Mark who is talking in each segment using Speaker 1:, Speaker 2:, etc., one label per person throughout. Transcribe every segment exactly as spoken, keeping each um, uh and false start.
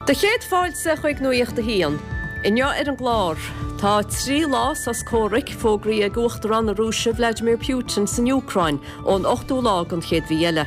Speaker 1: Do chéad fáilte chuig Nuacht a hAon. Inniu ar an gclár, tá trí lá sos comhraic fógraithe ag Uachtarán na Rúise Vladimir Putin san Úcráin ón ochtú lá den chéad mhí eile.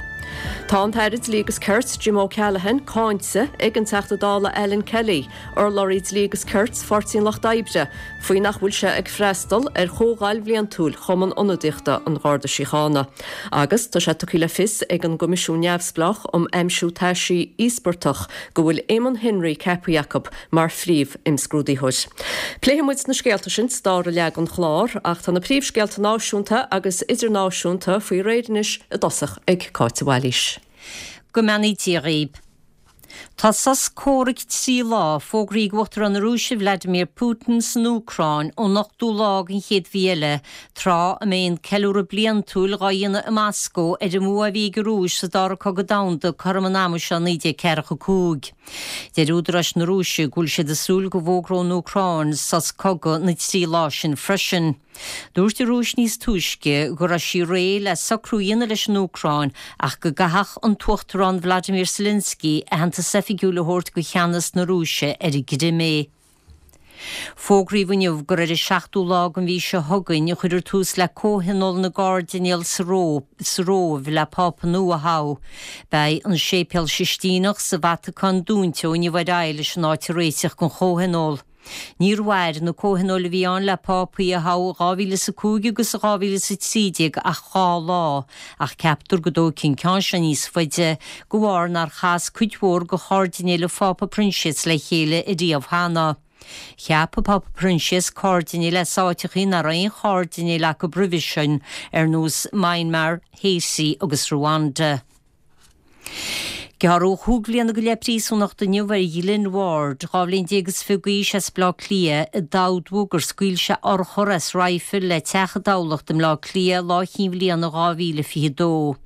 Speaker 1: Tá an tAire Dlí agus Cirt Jim O'Callaghan cáinte ag an Teachta Dála Alan Kelly, urlabhraí Dlí agus Cirt Pháirtí an Lucht Oibre, faoi nach bhfuil sé ag freastal ar chomhdháil bhliantúil Chumann Ionadaíochta an Gharda Síochána. Agus tá sé tugtha le fios ag an gCoimisiún Neamhspleách um Aimsiú Taisí Íospartach go bhfuil Eamon Henry ceaptha acu mar phríomh-imscrúdaitheoir. Pléifidh muid na scéalta sin sa dara leath den chlár ach tá na príomhscéalta náisiúnta agus idirnáisiúnta faoi réir anois i dtosach ag Cáit Bhailís.
Speaker 2: Go mbeannaí Dia dhaoibh. Tá sos comhraic trí lá fógraithe ag Uachtarán na Rúise Vladimir Putin san Úcráin ón ochtú lá den chéad mhí eile, tráth a mbeidh an ceiliúradh bliantúil á dhéanamh i Moscó ar an mbua a bhí ag an Rúis sa dara cogadh domhanda cothrom an ama seo naoi déag ceathracha cúig. Deir údaráis na Rúise go bhfuil siad ag súil go bhfógróidh an Úcráin sos cogaidh na trí lá sin freisin. Dúirt an Rúis níos túisce go raibh sí réidh le socrú a dhéanamh leis an Úcráin ach go gcaithfeadh an tUachtarán Vladimir Zelensky aitheantas oifigiúil a thabhairt do cheannas na Rúise ar an gCrimé. Fógraíodh inniu gur ar an seachtú lá den mhí seo chugainn a chuirfear tús le comhthionól na gcairdinéal sa Róimh le Pápa nua a thoghadh. Beidh an Séipéal Sistíneach sa Vatacáin dúnta ó inniu ar aghaidh leis an áit a réiteach don chomhthionól. Níor mhair na comhthionóil a bhí ann le pápaí a thoghadh dhá mhíle is a cúig agus dhá mhíle is a trí déag ach dhá lá, ach ceaptar go dtógfaidh an ceann seo níos faide, de bharr nár chas cuid mhór de chairdinéil an Phápa Proinsias le chéile ariamh cheana. Cheap an Pápa Proinsias cairdinéil as áiteachaí nach raibh aon chairdinéil acu roimhe sin, ar nós Myanmar, Haiti agus Rwanda. Gearradh chúig bhliana go leith príosúnachta inniu ar Ghlynn Ward, dhá bhliain déag is fiche d'aois as Baile Átha Cliath, a d'admhaigh gur scaoil sé urchar as raidhfil le teach i dTamhlacht i mBleá Cliath lá Chinn Bhliana dhá mhíle fiche dó.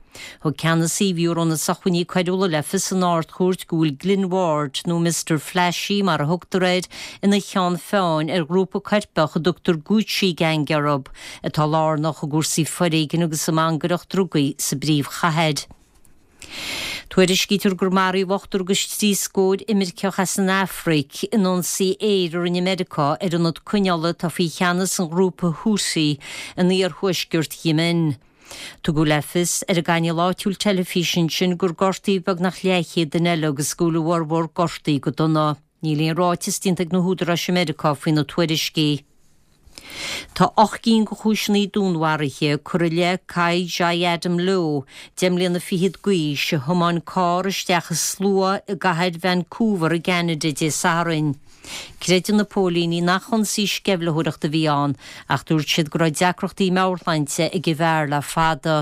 Speaker 2: Thug ceannasaí Bhiúró na Sócmhainní Coiriúla le fios san Ard-Chúirt go bhfuil Glynn Ward, nó Mister Flashy mar a thugtar air, ina cheann feadhain ar ghrúpa coirpeach a dtugtar Gucci Gang orthu, atá lárnach i gcúrsaí foréigin agus i mangaireacht drugaí sa bpríomhchathair. Tuairiscítear gur maraíodh ochtar agus trí scór imirceach as an Afraic in ionsaí aeir a rinne Meiriceá ar ionad coinneála atá faoi cheannas an ghrúpa Houthi in iarthuaisceart Yemen. Tugadh le fios ar an gcainéal áitiúil teilifíse ansin gur gortaíodh beagnach leathchéad duine eile agus go bhfuil a bhformhór gortaithe go dona. Níl aon ráiteas déanta ag na húdaráis i Meiriceá faoi na tuairiscí. Tá ocht gcinn de chúiseanna dúnmharaithe curtha i leith Kai Jai Adam Low, deich mbliana fichead d'aois, a thiomáin carr isteach i slua i gcathair Vancouver i gCeanada Dé Sathairn. Creideann na póilíní nach ionsaí sceimhlitheoireachta a bhí ann ach dúirt siad go raibh deacrachtaí meabhairshláinte ag an bhfear le fada.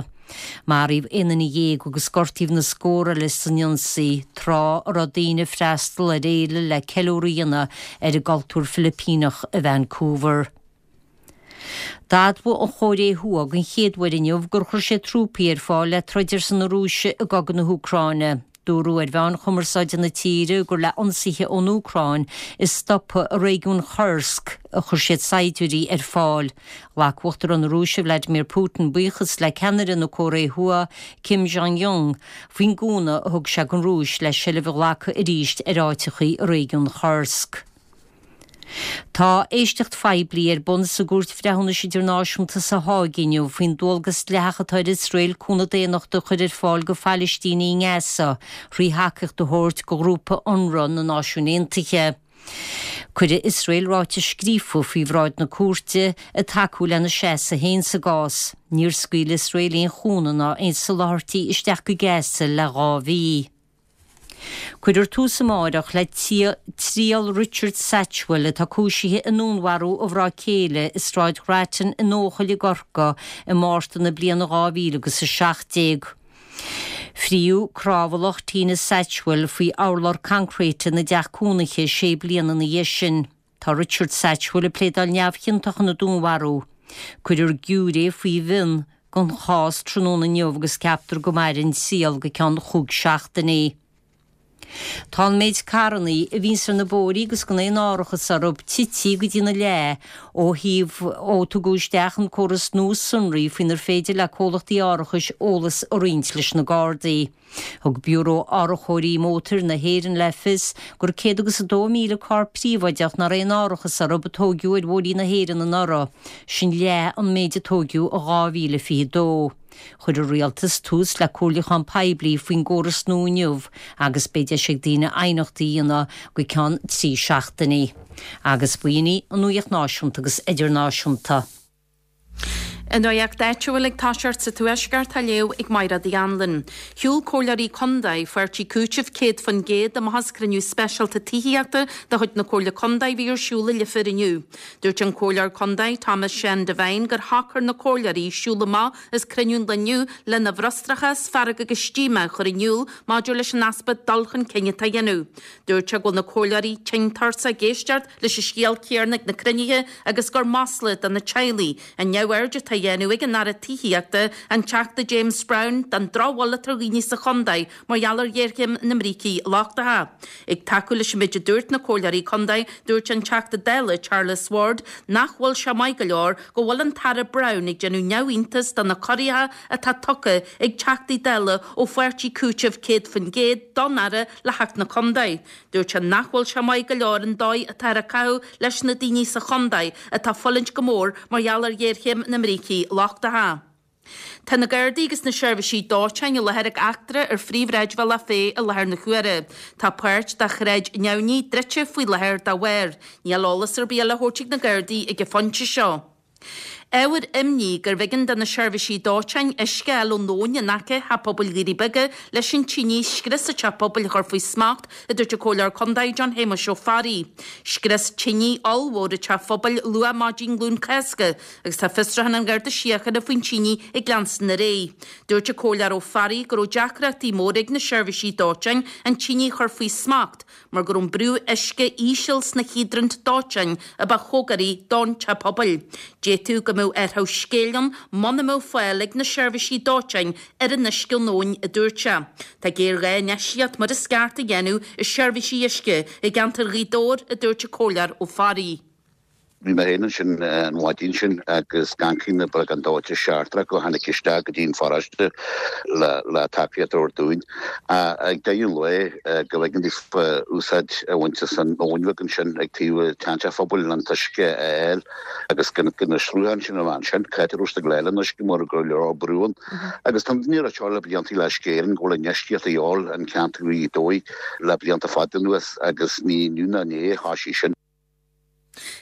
Speaker 2: Maraíodh aon duine dhéag agus gortaíodh na scór eile san ionsaí, tráth a raibh daoine ag freastal ar fhéile le ceiliúradh a dhéanamh ar an gcultúr Filipíneach i Vancouver. D'admhaigh an Chóiré Thuaidh den chéad uair inniu gur chuir sé trúpaí ar fáil le troid ar son na Rúise i gcogadh na hÚcráine. Dúradh ar mheáin chumarsáide na tíre gur le ionsaithe ón Úcráin a stopadh i réigiún Kursk a chuir siad saighdiúirí ar fáil. Ghlac Uachtarán na Rúise Vladimir Putin buíochas le ceannaire na Cóiré Thuaidh, Kim Jong-un, faoin gcúnamh a thug sé don Rúis le seilbh a ghlacadh arís ar áiteachaí i réigiún Kursk. Tá éisteacht phoiblí ar bun sa gCúirt Bhreithiúnais Idirnáisiúnta sa Háig inniu faoin dualgas dleathach atá ar Iosrael cúnamh daonnachta a chur ar fáil do Phalaistínigh i nGaza thrí thacaíocht a thabhairt do ghrúpa Unrwa na Náisiún Aontaithe. Cuirfidh Iosrael ráiteas scríofa faoi bhráid na cúirte ag tacú lena seasamh féin sa gcás. Níor scaoil Iosrael aon chúnamh ná aon soláthairtí isteach go Gaza le dhá mhí. Cuirfear tús amáireach le triail Richard Satchwell atá cúisithe i ndúnmharú a mhná céile i Sráid Ghrattan in Eochaill i gCorcaigh i Márta na bliana dhá mhíle agus a seacht déag. Fríodh crábhallach Tina Satchwell faoi urlár coincréite ina dteach cónaithe sé bliana ina dhiaidh sin. Tá Richard Satchwell ag pléadáil neamhchiontach ina dúnmharú. Cuirfear giúiré faoi mhionn don chás tráthnóna inniu agus ceaptar go mairfidh an triail go ceann chúig seachtainí. Tá an méid carrannaí a bhíonns ar na bóithrí agus gan aon árachas orthu tite go dtína leath ó thaobh ó tugadh isteach an córas nua sonraí faoinar féidir le comhlachtaí árachais eolas a roinnt leis na Gardaí. Thug Biúró Árachóirí Mótair na hÉireann le fios gur céad agus a dó míle carr príobháideach nach raibh aon árachas orthu a tóigeadh ar bhóithrí na hÉireann anuraidh, sin leath an méid a tóigeadh i dhá mhíle fiche dó. Chuir an Rialtas tús le comhairliúchán poiblí faoin gcóras nua inniu agus beidh deis ag daoine aighneachtaí a dhéanamh go ceann trí seachtainí. Agus b'in í an nuacht náisiúnta agus idirnáisiúnta.
Speaker 3: An nuacht áitiúil ag toiseacht sa Tuaisceart á léamh ag Máire Uí Anluain. Shiúil Comhairleoirí Contae Pháirtí Cúitimh céad faoin gcéad amach as cruinniú speisialta tithíochta de chuid na Comhairle Contae a bhí ar siúl i Leifear inniu. Dúirt an Comhairleoir Contae Thomas Sean Devine gur shocair na Comhairleoirí siúl amach as cruinniú an lae inniu lena bhfrustrachas, fearg agus díomá a chur in iúl maidir leis an easpa dul chun cinn atá á dhéanamh. Dúirt sé go bhfuil na Comhairleoirí tinn tuirseach ag éisteacht leis an scéal céanna ag na cruinnithe agus gur masla do na teaghlaigh an neamhaird atá á dhéanamh ag an Aire Tithíochta, an Teachta James Browne, den drochbhail atá ar dhaoine sa chontae mar gheall ar ghéarchéim na mbrící lochtacha. Ag tacú leis an méid a dúirt na Comhairleoirí Contae, dúirt an Teachta Dála Charles Ward nach bhfuil sé maith go leor go bhfuil an tAire Browne ag déanamh neamhiontas de na corraithe atá tugtha ag Teachtaí Dála ó Pháirtí Cúitimh céad faoin gcéad don Aire le theacht na contae. Dúirt sé nach bhfuil sé maith go leor an dóigh atáthar ag caitheamh leis na daoine sa chontae atá ag fulaingt go mór mar gheall ar ghéarchéim na mbrící lochtacha. Tá na Gardaí agus na seirbhísí dóiteáin i láthair ag eachtra ar phríomhshráidbhealach Féich i láthair na huaire. Tá páirt de Shráid Neamhní druidte faoi láthair dá bharr. Níl eolas ar bith eile á thabhairt ag na Gardaí ag an phointe seo. Ábhar imní gurbh éigean do na seirbhísí dóiteáin uisce a fháil ón abhainn in aice Theach Pobail Dhoirí Beaga leis an tine a scrios an teach pobail a chur faoi smacht, a dúirt an Comhairleoir Contae John Shéamuis Ó Fearraigh. Scrios tine ollmhór an teach pobail luath maidin Luan Cásca agus tá fiosrúchán an Gharda Síochána faoin tine ag leanstan ar aghaidh. Dúirt an Comhairleoir Ó Fearraigh go raibh deacrachtaí móra ag na seirbhísí dóiteáin an tine a chur faoi smacht mar go raibh an brú uisce íseal sna híodrant dóiteáin a ba chóngaraí don teach pobail. D'fhéadfadh go mbeadh athrú scéil ann muna mbeadh fáil ag na seirbhísí dóiteáin ar an uisce ón abhainn, a dúirt sé. Tá géarghá infheistíocht mar is ceart a dhéanamh i seirbhísí uisce i gceantar Ghaoth Dobhair, a dúirt an Comhairleoir Ó Fearraigh.
Speaker 4: Bhí mé féin ansin an mhaidin sin agus gancaí beagán dóite seachtrach go tháinig isteach go dtí an pharóiste le le tacaíocht a thabhairt dúinn. Ag deireadh an lae go bhfeiceann daofa úsáid a bhaint as an abhainn bheag ansin ag taobh an tseanteach phobail an t-uisce a fháil agus go na srutháin sin a bhean sin, cá raibh siad ag leil an uisce mar go leor brú ann. Agus tá daoine ag rá le blianta le Uisce Éireann go bhfuil infheistíocht a dhíobháil an ceantar Ghaoth Dobhair le blianta fada anuas agus ní inniu ná inné a thosaigh sin.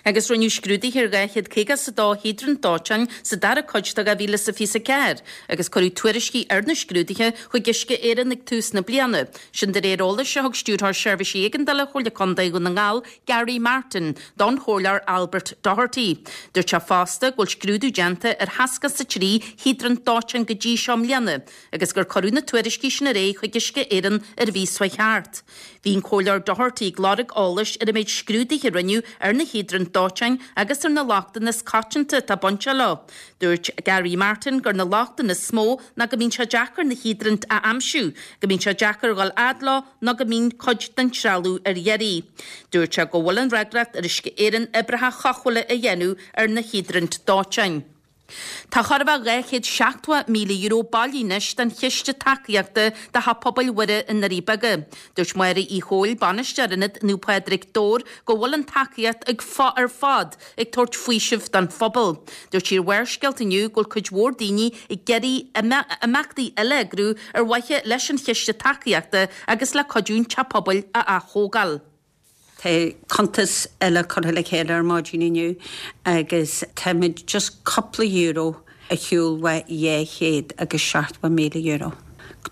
Speaker 3: Agus rinneadh scrúduithe ar dhá chéad caoga is a dó híodrant dóiteáin sa dara cuid de dhá mhíle is a fiche a ceathair agus cuireadh tuairiscí ar na scrúduithe chuig Uisce Éireann ag tús na bliana. Sin de réir eolais a thug Stiúrthóir Seirbhísí Éigeandála Chomhairle Contae Dhún na nGall, Gary Martin, don Chomhairleoir Albert Doherty. Dúirt sé fosta go bhfuil scrúdú déanta ar sheasca is a trí híodrant dóiteáin go dtí seo i mbliana agus gur cuireadh na tuairiscí sin ar aghaidh chuig Uisce Éireann ar an mhí seo thart. Bhí an Comhairleoir Doherty ag lorg eolais ar an méid scrúduithe a rinneadh ar na híodraint dóiteáin agus ar na lochtanna is coitianta atá bainte leo. Dúirt Gary Martin gur na lochtanna is mó ná go mbíonn sé deacair na híodraint a aimsiú, go mbíonn sé deacair dhul fhad leo nó go mbíonn cuid den trealamh ar iarraidh. Dúirt sé go bhfuil an fhreagracht ar Uisce Éireann oibreacha chothabhála a dhéanamh ar na híodraint dóiteáin. Tá chóir a bheith dhá chéad seachtó míle euro bailithe anois don Chiste Tacaíochta do Theach Pobail Mhuire i nDoirí Beaga. Dúirt Máire Uí Chomhaill, Bainisteoir Ionad Naomh Pádraig, Dobhar, go bhfuil an tacaíocht ag ar fad ag tabhairt faoisimh don phobal. Dúirt sí ar Bharrscéalta inniu go bhfuil cuid mhór daoine ag iarraidh imeachtaí eile a eagrú ar mhaithe leis an chiste tacaíochta agus le cuidiú an teach pobail a ath-thógáil.
Speaker 5: Tá cuntas eile curtha le chéile ar maidin inniu agus táimid just cúpla euro ar shiúl ó dhá chéad agus seachtó míle euro.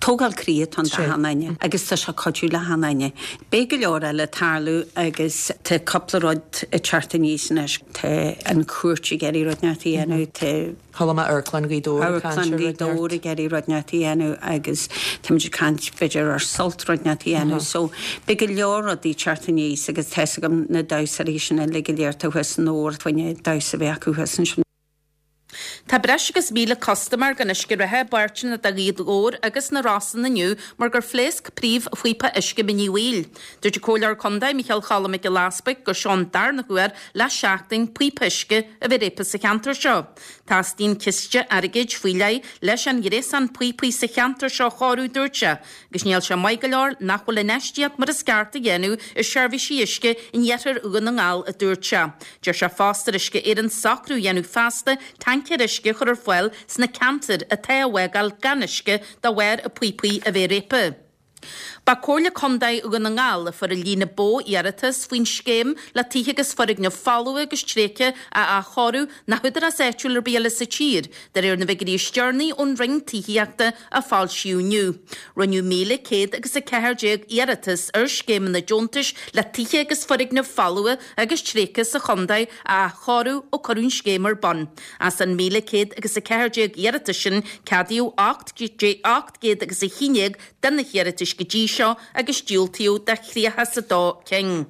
Speaker 5: Tógáil croí atá ann d'achan duine agus tá sé cuidiú le achan duine. Beidh go leor eile ag tarlú agus tá cúpla rud ag teacht aníos anois. Tá an chúirt ag iarraidh rud inteacht a dhéanamh, tá
Speaker 6: Chuala mé Amharclann Ghaoth Dobhair ag caint
Speaker 5: Amharclann
Speaker 6: ar
Speaker 5: Ghaoth
Speaker 6: rud
Speaker 5: Dobhair
Speaker 6: neart.
Speaker 5: ag iarraidh rud inteacht a dhéanamh agus táimid ag caint b'fhéidir ar Sult rud inteacht a dhéanamh. So beidh go leor rudaí ag teacht aníos agus tá a fhios agam na damhsóirí sin uilig go léir atá thuas i nDobhar fá choinne damhsa a bheith acu thuas ansin.
Speaker 3: Tá breis agus míle custaiméir gan uisce reatha i bpáirteanna de Ghaoth Dobhair agus na Rosann inniu mar gur phléasc príomhphíopa uisce Mín Uí Bhaoill. Dúirt an Comhairleoir Contae Micheál Choilm Mac Giolla Easbuig gur seo an darna huair le seachtain píopa uisce a bheith réabtha sa cheantar seo. Teastaíonn ciste airgid faoi leith leis an ghréasán píopaí sa cheantar seo a chóiriú, dúirt sé, agus níl sé maith go leor nach bhfuil infheistíocht mar is ceart á dhéanamh i seirbhísí uisce in iarthar Dhún na nGall, a dúirt sé. Deir sé fosta ar Uisce Éireann socrú a dhéanamh feasta tancaeir uisce a chur ar fáil sna ceantair atá á bhfágáil gan uisce de bharr a píopaí a bheith réabtha. Ba Comhairle Contae Dhún na nGall a fuair an líon ba mhó iarratas faoin scéim le tithe agus foirgnimh folmha agus tréigthe a athchóiriú ná húdarás áitiúil ar bith eile sa tír, de réir na bhfigiúirí is deireanaí ón Roinn Tithíochta a foilsíodh inniu. Rinneadh míle céad agus a ceathair déag iarratas ar scéimeanna deontais le tithe agus foirgnimh folmha agus tréigthe sa chontae a athchóiriú ó cuireadh an scéim ar bun. As an míle céad agus a ceathair déag iarratas sin, ceadaíodh ocht gcéad agus a haon déag de na hiarratais go dtí seo agus diúltaíodh do thríocha is a dó cinn.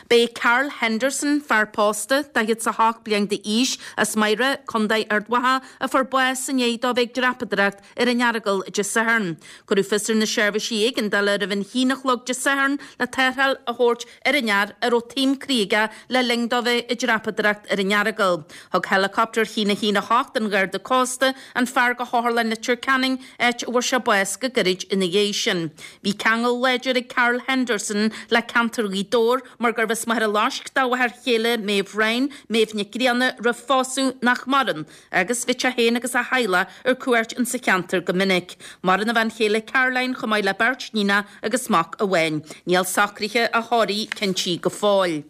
Speaker 3: B'é Carl Henderson, fear pósta, daichead is a hocht bliain d'aois, as Maghera, Contae Ard Mhacha, a fuair bás i ndiaidh dó bheith ag dreapadóireacht ar an Earagail Dé Sathairn. Cuireadh fios ar na seirbhísí éigeandála roimh an haon a chlog Dé Sathairn le tarrtháil a thabhairt ar an fhear a raibh taom croí aige le linn dó bheith ag dreapadóireacht ar an Earagail. Thug heileacoptar a haon a haon a hocht an Gharda Cósta an fear go hOtharlann Leitir Ceanainn, áit a bhfuair sé bás go gairid ina dhiaidh sin. Bhí ceangal láidir ag Carl Henderson le ceantar Ghaoth Dobhair mar gurbh as Machaire Loisc dá mháthair chéile Méabh Ryan, Méabh Nic Grianna, roimh phósadh, nach maireann, agus bhíodh sé féin agus a theaghlach ar cuairt insa cheantar go minic. Maireann a bhean chéile Caroline chomh maith le beirt níonacha agus mac amháin. Níl socruithe a thórraimh cinntithe go fóill.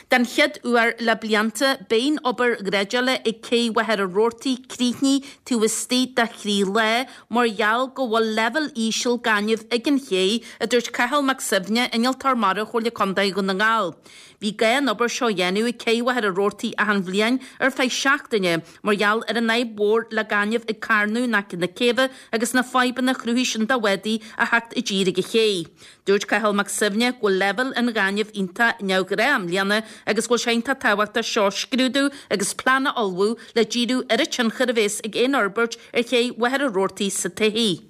Speaker 3: Den chéad uair le blianta, beidh an obair dhreideála ag Cé Mhachaire Rabhartaigh críochnaithe taobh istigh de thrí lá mar gheall go bhfuil leibhéal íseal gainimh ag an ché, a dúirt Cathal Mac Suibhne, Innealtóir Mara Chomhairle Contae Dhún na nGall. Bhí gá an obair seo a dhéanamh ag Cé Mhachaire Rabhartaigh achan bhliain ar feadh seachtaine mar gheall ar an fhadhb mhór le gaineamh ag carnadh in aice na céibhe agus na fadhbanna a chruthaigh sin do bhádaí a theacht i dtír ag an ché. Dúirt Cathal Mac Suibhne go bhfuil leibhéal an ghainimh iontach neamhghnách i mbliana agus go bhfuil sé iontach tábhachtach seo a scrúdú agus plean a ullmhú le díriú ar an tionchar a bhéas ag aon fhorbairt ar ché Mhachaire Rabhartaigh sa todhchaí.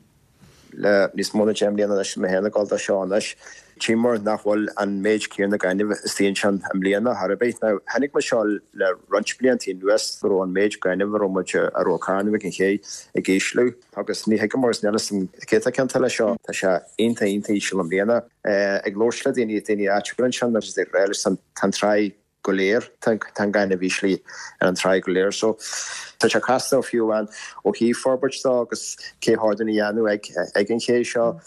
Speaker 7: Le níos mó ná deich mbliana anois, mé féin ag gabháil dó seo anois, tchíomar nach bhfuil an méid céanna gainimh istigh ansin i mbliana chor ar bith. Now, chonaic muid seo le roinnt blianta anuas go raibh an méid gainimh a raibh muid, a raibh ag carnadh ag an ché ag ísliú agus ní thuigim mar is níl 'fhios a'm cé atá ciontach leis seo. Tá sé iontach iontach íseal i mbliana. Ag labhairt le daoine, daoine áitiúla ansin agus ag rá leis tá an tráigh go léir, tá an gaineamh íslithe ar an tráigh go léir. So tá sé casta fiú amháin ó thaobh forbairt dó agus cé hordún a dhéanamh ag ag an ché seo.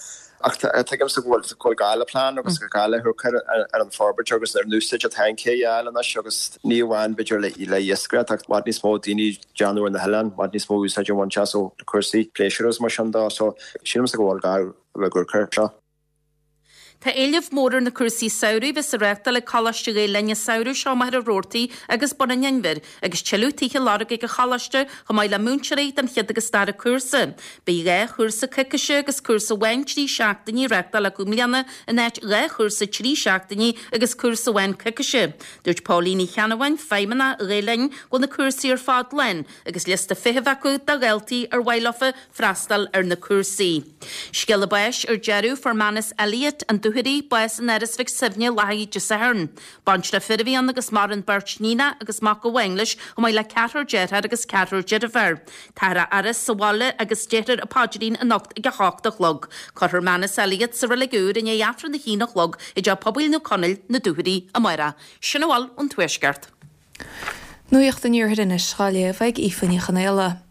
Speaker 7: Ach tuigimse go bhfuil go bhfuil gá le plean agus go gá le hamharc ar an forbairt agus ar an úsáid atá an ché a fháil anois agus ní amháin b'fhéidir le le iascaireacht ach i bhfad níos mó daoine ag déanamh ar na hoileáin, i bhfad níos mó úsáid a bhaint as ó cúrsaí pléisiúir agus mar sin dó. So sílimse go bhfuil gá le hamharc air seo.
Speaker 3: Tá éileamh mór ar na cúrsaí samhraidh a bheas á reáchtáil ag Coláiste Ghael Linn an samhradh seo i Machaire Rabhartaigh agus Bun an Inbhir agus tuilleadh tithe á lorg ag an choláiste chomh maith le múinteoirí don chéad agus dara cúrsa. Beidh dhá chúrsa coicíse agus cúrsa amháin trí seachtainí á reáchtáil acu i mbliana in áit dhá chúrsa trí seachtainí agus cúrsa amháin coicíse. Dúirt Pauline Ní Cheannabháin, Feidhmeannach Ghael Linn, go bhfuil na cúrsaí ar fad lán agus liosta feithimh acu do dhaltaí ar mhaith leofa freastal ar na cúrsaí. Scéala báis ar deireadh, fuair Manus Elliott, An Dúchoraidh, bás in Áras Mhic Suibhne Lathaí Dé Sathairn. Baintreach fir a bhí ann agus maireann beirt níonach agus mac amháin leis chomh maith le ceathrar dearthár agus ceathrar deirféar. Táthar á fhaire sa bhaile agus déarfar an paidrín anocht ag a hocht a chlog. Cuirfear Manus Elliott sa reilig úr i ndiaidh Aifreann a haon a chlog i dTeach Pobail Naomh Conaill, Na Dúchoraidh, amárach. Sin a bhfuil ón Tuaisceart.
Speaker 8: Nuacht an Iarthair anois á léamh ag Aoife Ní Chonaola.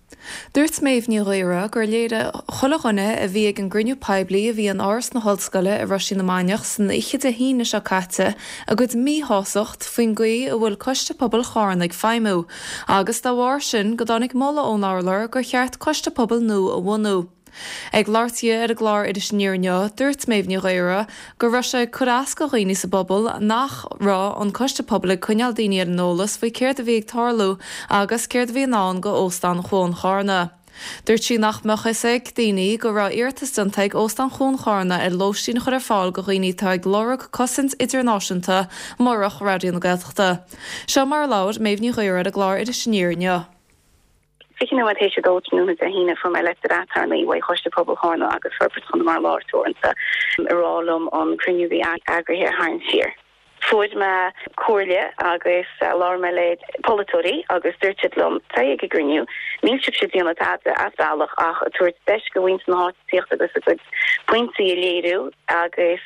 Speaker 8: Dúirt Méabh Ní Ghaora gur léirigh chuile dhuine a bhí ag an gcruinniú poiblí a bhí in Áras na hOllscoile i Roisín na Mainiach san oíche Dé hAoine seo caite a gcuid míshásacht faoin gcaoi a bhfuil Coiste Pobail Charna ag feidhmiú agus dá bharr sin go dtáinig moladh ón urlár gur cheart Coiste Pobail nua a bhunú. Ag labhairt di ar an gclár Iris Aniar inniu, dúirt Méabh Ní Ghaora go raibh sé ag cur as do dhaoine sa bpobal nach raibh an Coiste Pobail ag coinneáil daoine ar an eolas faoi céard a bhí ag tarlú agus céard a bhí i ndán go Óstán Chuan Charna. Dúirt sí nach mbeadh fhios ag daoine go raibh iarratas déanta ag Óstán Chuan Charna ar lóistín a chur ar fáil go dhaoine atá ag lorg cosaint idirnáisiúnta murach Raidió na Gaeltachta. Seo mar a labhair Méabh Ní Ghaora ar an gclár Iris Aniar inniu.
Speaker 9: Fiche nóiméad théis a dó tráthnóna Dé hAoine fuair mé leitir aturnae uaidh Choiste Pobail Chárna agus Forbairt Chonamara Láir Teoranta ag rá liom an cruinniú a bhí eagraithe a tharraingt siar. Fuair mé comhairle agus labhair mé le polaiteoirí agus dúirt siad liom, téigh ag an gcruinniú, níl sibhse ag déanamh tada as bealach ach ag tabhairt deis go mhuintir na háite tíocht agus a gcuid pointí a léiriú agus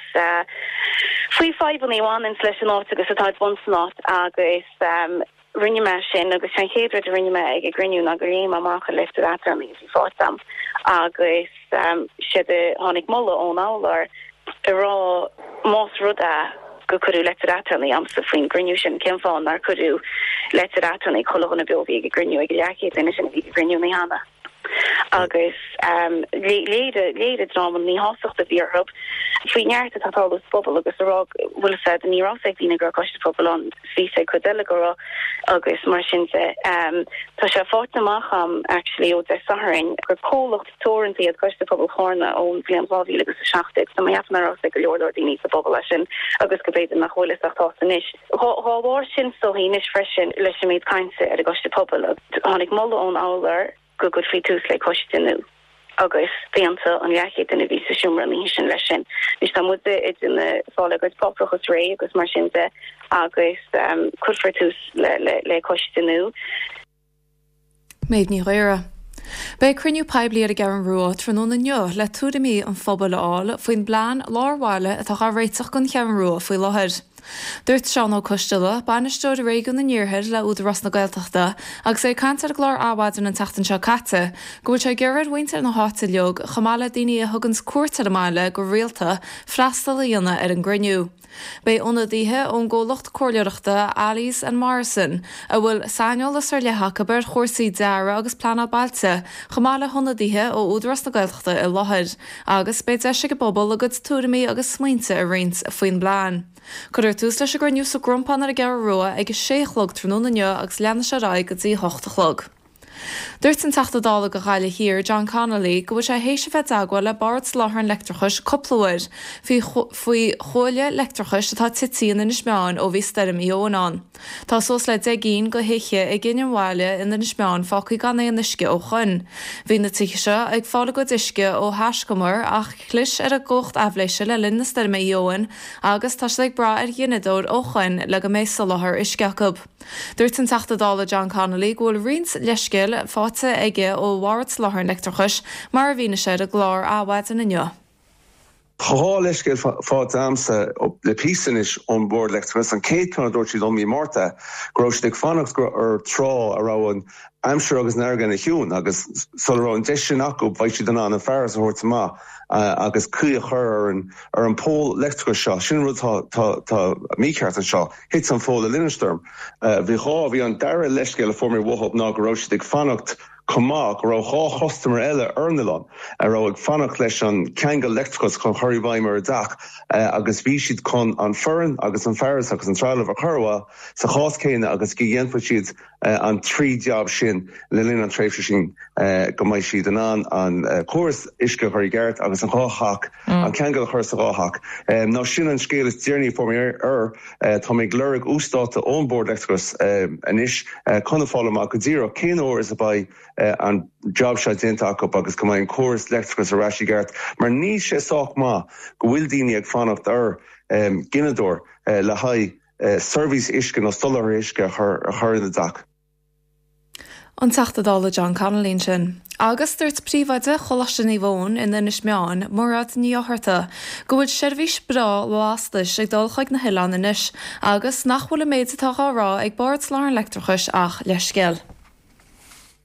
Speaker 9: faoi fadhbanna a bhaineanns leis an áit agus atá ag baint san áit agus Rinne mé sin agus sé an chéad rud a rinne mé ag an gcruinniú ná gur léigh mé amach an litir aturnae a bhí faighte agam agus séard a tháinig moladh ón urlabhra ag rá más rud é gur cuireadh leitir aturnae agamsa faoin gcruinniú sin cén fáth nár cuireadh leitir aturnae ag chuile dhuine beo a bhí ag an gcruinniú ag an leathchéad duine sin a bhí ag an gcruinniú an oíche cheana. Agus léirigh an dream an mhíshástacht a bhí orthu faoi neart atá ag tarlú sa bpobal agus a rá go bhfuil a fhios a'd ní raibh a fhios ag daoine go raibh coiste pobail ann bhí a fhios ag cuid eile go raibh agus mar sin de. Tá sé faighte amach a'm actually ó Dé Sathairn gur comhlacht teoranta iad Coiste Pobail Chárna ón bhliain dhá mhíle agus a seacht déag so mé cheapaim nach raibh a fhios ag go leor leor daoine sa bpobal é sin agus go b'fhéidir nach bhfuil a fhios ach tá anois. Dhá bharr sin is dóichí anois freisin leis an méid cainte ar an gcoiste pobail tháinig moladh ón urlabhra go gcuirfí tús le coiste nua agus d'aontaigh an leathchéad duine a bhí sa seomra an oíche sin leis sin. Anois tá muide ag déanamh fáil ár gcuid páipéarachas réidh agus mar sin de agus cuirfear tús le coiste nua.
Speaker 8: Méabh Ní Ghaora. Beidh cruinniú poiblí ar an gCeathrú Rua tráthnóna inniu le tuairimí an phobail a fháil faoin bplean lár bhaile atá á réiteach don Cheathrú Rua faoi láthair. Dúirt Seán Ó Coisteala, Bainisteoir Réigiún an Iarthair le Údarás na Gaeltachta, agus é ag caint ar an gclár Adhmhaidin an tseachtain seo caite, go bhfuil sé ag iarraidh ar mhuintir na háite uilig, chomh maith le daoine a thuganns cuairt ar an mbaile go rialta, freastal a dhéanamh ar an gcruinniú. Beidh ionadaithe ón gcomhlacht comhairleoireachta Allies and Morrison, a bhfuil saineolas ar leith acu ar chúrsaí dearaidh agus pleanáil bailte, chomh maith le hionadaithe ó Údarás na Gaeltachta i láthair, agus beidh deis ag an bpobal a gcuid tuairimí agus smaointe a roinnt faoin bplean. Cuirfear tús leis an gcruinniú sa gCrompán ar an gCeathrú Rua ag a sé a chlog tráthnóna inniu agus leanfaidh sé ar aghaidh go dtí a hocht a chlog. Dúirt an Teachta Dála do Ghaillimh Thiar, John Connolly, go bhfuil sé théis a bheith i dteagmháil le Bord Soláthair an Leictreachais cúpla uair faoi faoi chuaille leictreachais atá tite in Inis Meáin ó bhí Stoirm Éowyn ann. Tá suas le deich gcinn de thithe i gCinn an Bhaile in Inis Meáin fágtha gan aon uisce ó shoin. Bhí na tithe seo ag fáil a gcuid uisce ó thaiscumar ach chlis ar an gcumhacht aibhléise le linn na stoirme Éowyn agus tá siad ag brath ar ghineadóir ó shoin le go mbeidh soláthar uisce acu. Dúirt an Teachta Dála John Connolly go bhfuil roinnt leithscéal faighte aige ó Bhord Soláthair an Leictreachais mar a mhínigh sé ar an gclár Adhmhaidin inniu.
Speaker 10: Tá dhá leithscéal faighte agamsa le píosa anois ón Bhord Leictreachais. An chéad ceann a dúirt siad liom mí Márta go raibh siad ag fanacht ar tráth a raibh an aimsir agus an fharraige ina chiúin agus sula raibh an deis sin acu bheadh siad in ann an fearas a thabhairt amach agus caoi a chur ar an ar an pól leictreachais seo. Sin an rud atá tá mícheart anseo. Thit an pól le linn an stoirm. Bhí dhá bhí an dara leithscéal a fuair mé uathu ná go raibh siad ag fanacht chomh maith go raibh dhá chustaiméir eile ar an oileán a raibh ag fanacht leis an ceangal leictreachais chun chur i bhfeidhm ar a dteach agus bhí siad chun an foireann agus an fearas agus an trealamh a chur uathu sa chás céanna agus go dhéanfadh siad an trí jab sin le linn an tréimhse sin go mbeidh siad in ann an córas uisce a chur i gceart agus an dhá theach, an ceangal a chur sa dhá theach. Now sin an scéal is deireanaí a fuair mé air. Tá mé ag lorg uasdáta ón Bord Leictreachais anois chun a fáil amach go díreach cén uair is a bheidh an job seo déanta acu agus go mbeidh an córas leictreachais ar ais i gceart mar níl sé sách maith go bhfuil daoine ag fanacht ar ghineadóir le haghaidh seirbhís uisce nó soláthar uisce a chur ina dteach.
Speaker 8: An Teachta Dála John Connolly ansin. Agus dúirt Príomhoide Choláiste Naomh Eoin in Inis Meáin, Mairéad Ní Fhátharta, go bhfuil seirbhís breá lastais ag dul chuig na hoileáin anois agus nach bhfuil an méid atá á rá ag Bord Soláthair an Leictreachais ach leithscéal.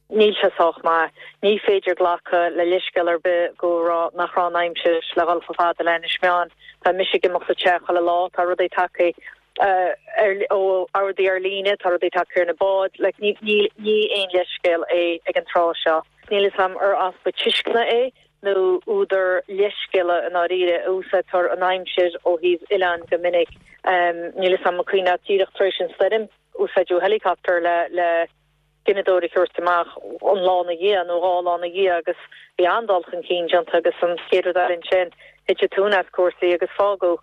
Speaker 11: Níl sé sách maith. Ní féidir glacadh le leithscéal ar bith go raibh nach raibh an aimsir le dhul chomh fada le Inis Meáin. Tá mise ag imeacht sa teach chuile lá, tá rudaí tagtha ar ó ordaí ar líne, tá rudaí tagtha ar na báid, like ní ní ní aon leithscéal é ag an tráth seo. Níl fhios a'm ar easpa tuisceana é nó údar leithscéala i ndáiríre. Úsáidtear an aimsir ó thaobh oileáin go minic. Níl fhios a'm an cuimhin leat díreach tar éis an stoirm, úsáideadh helicopter le le gineadóir a thabhairt amach an lá ina dhiaidh nó dhá lá ina dhiaidh agus bhí an-dul chun cinn déanta agus an chéad rud eile ansin thit an tóin as cúrsaí agus fágadh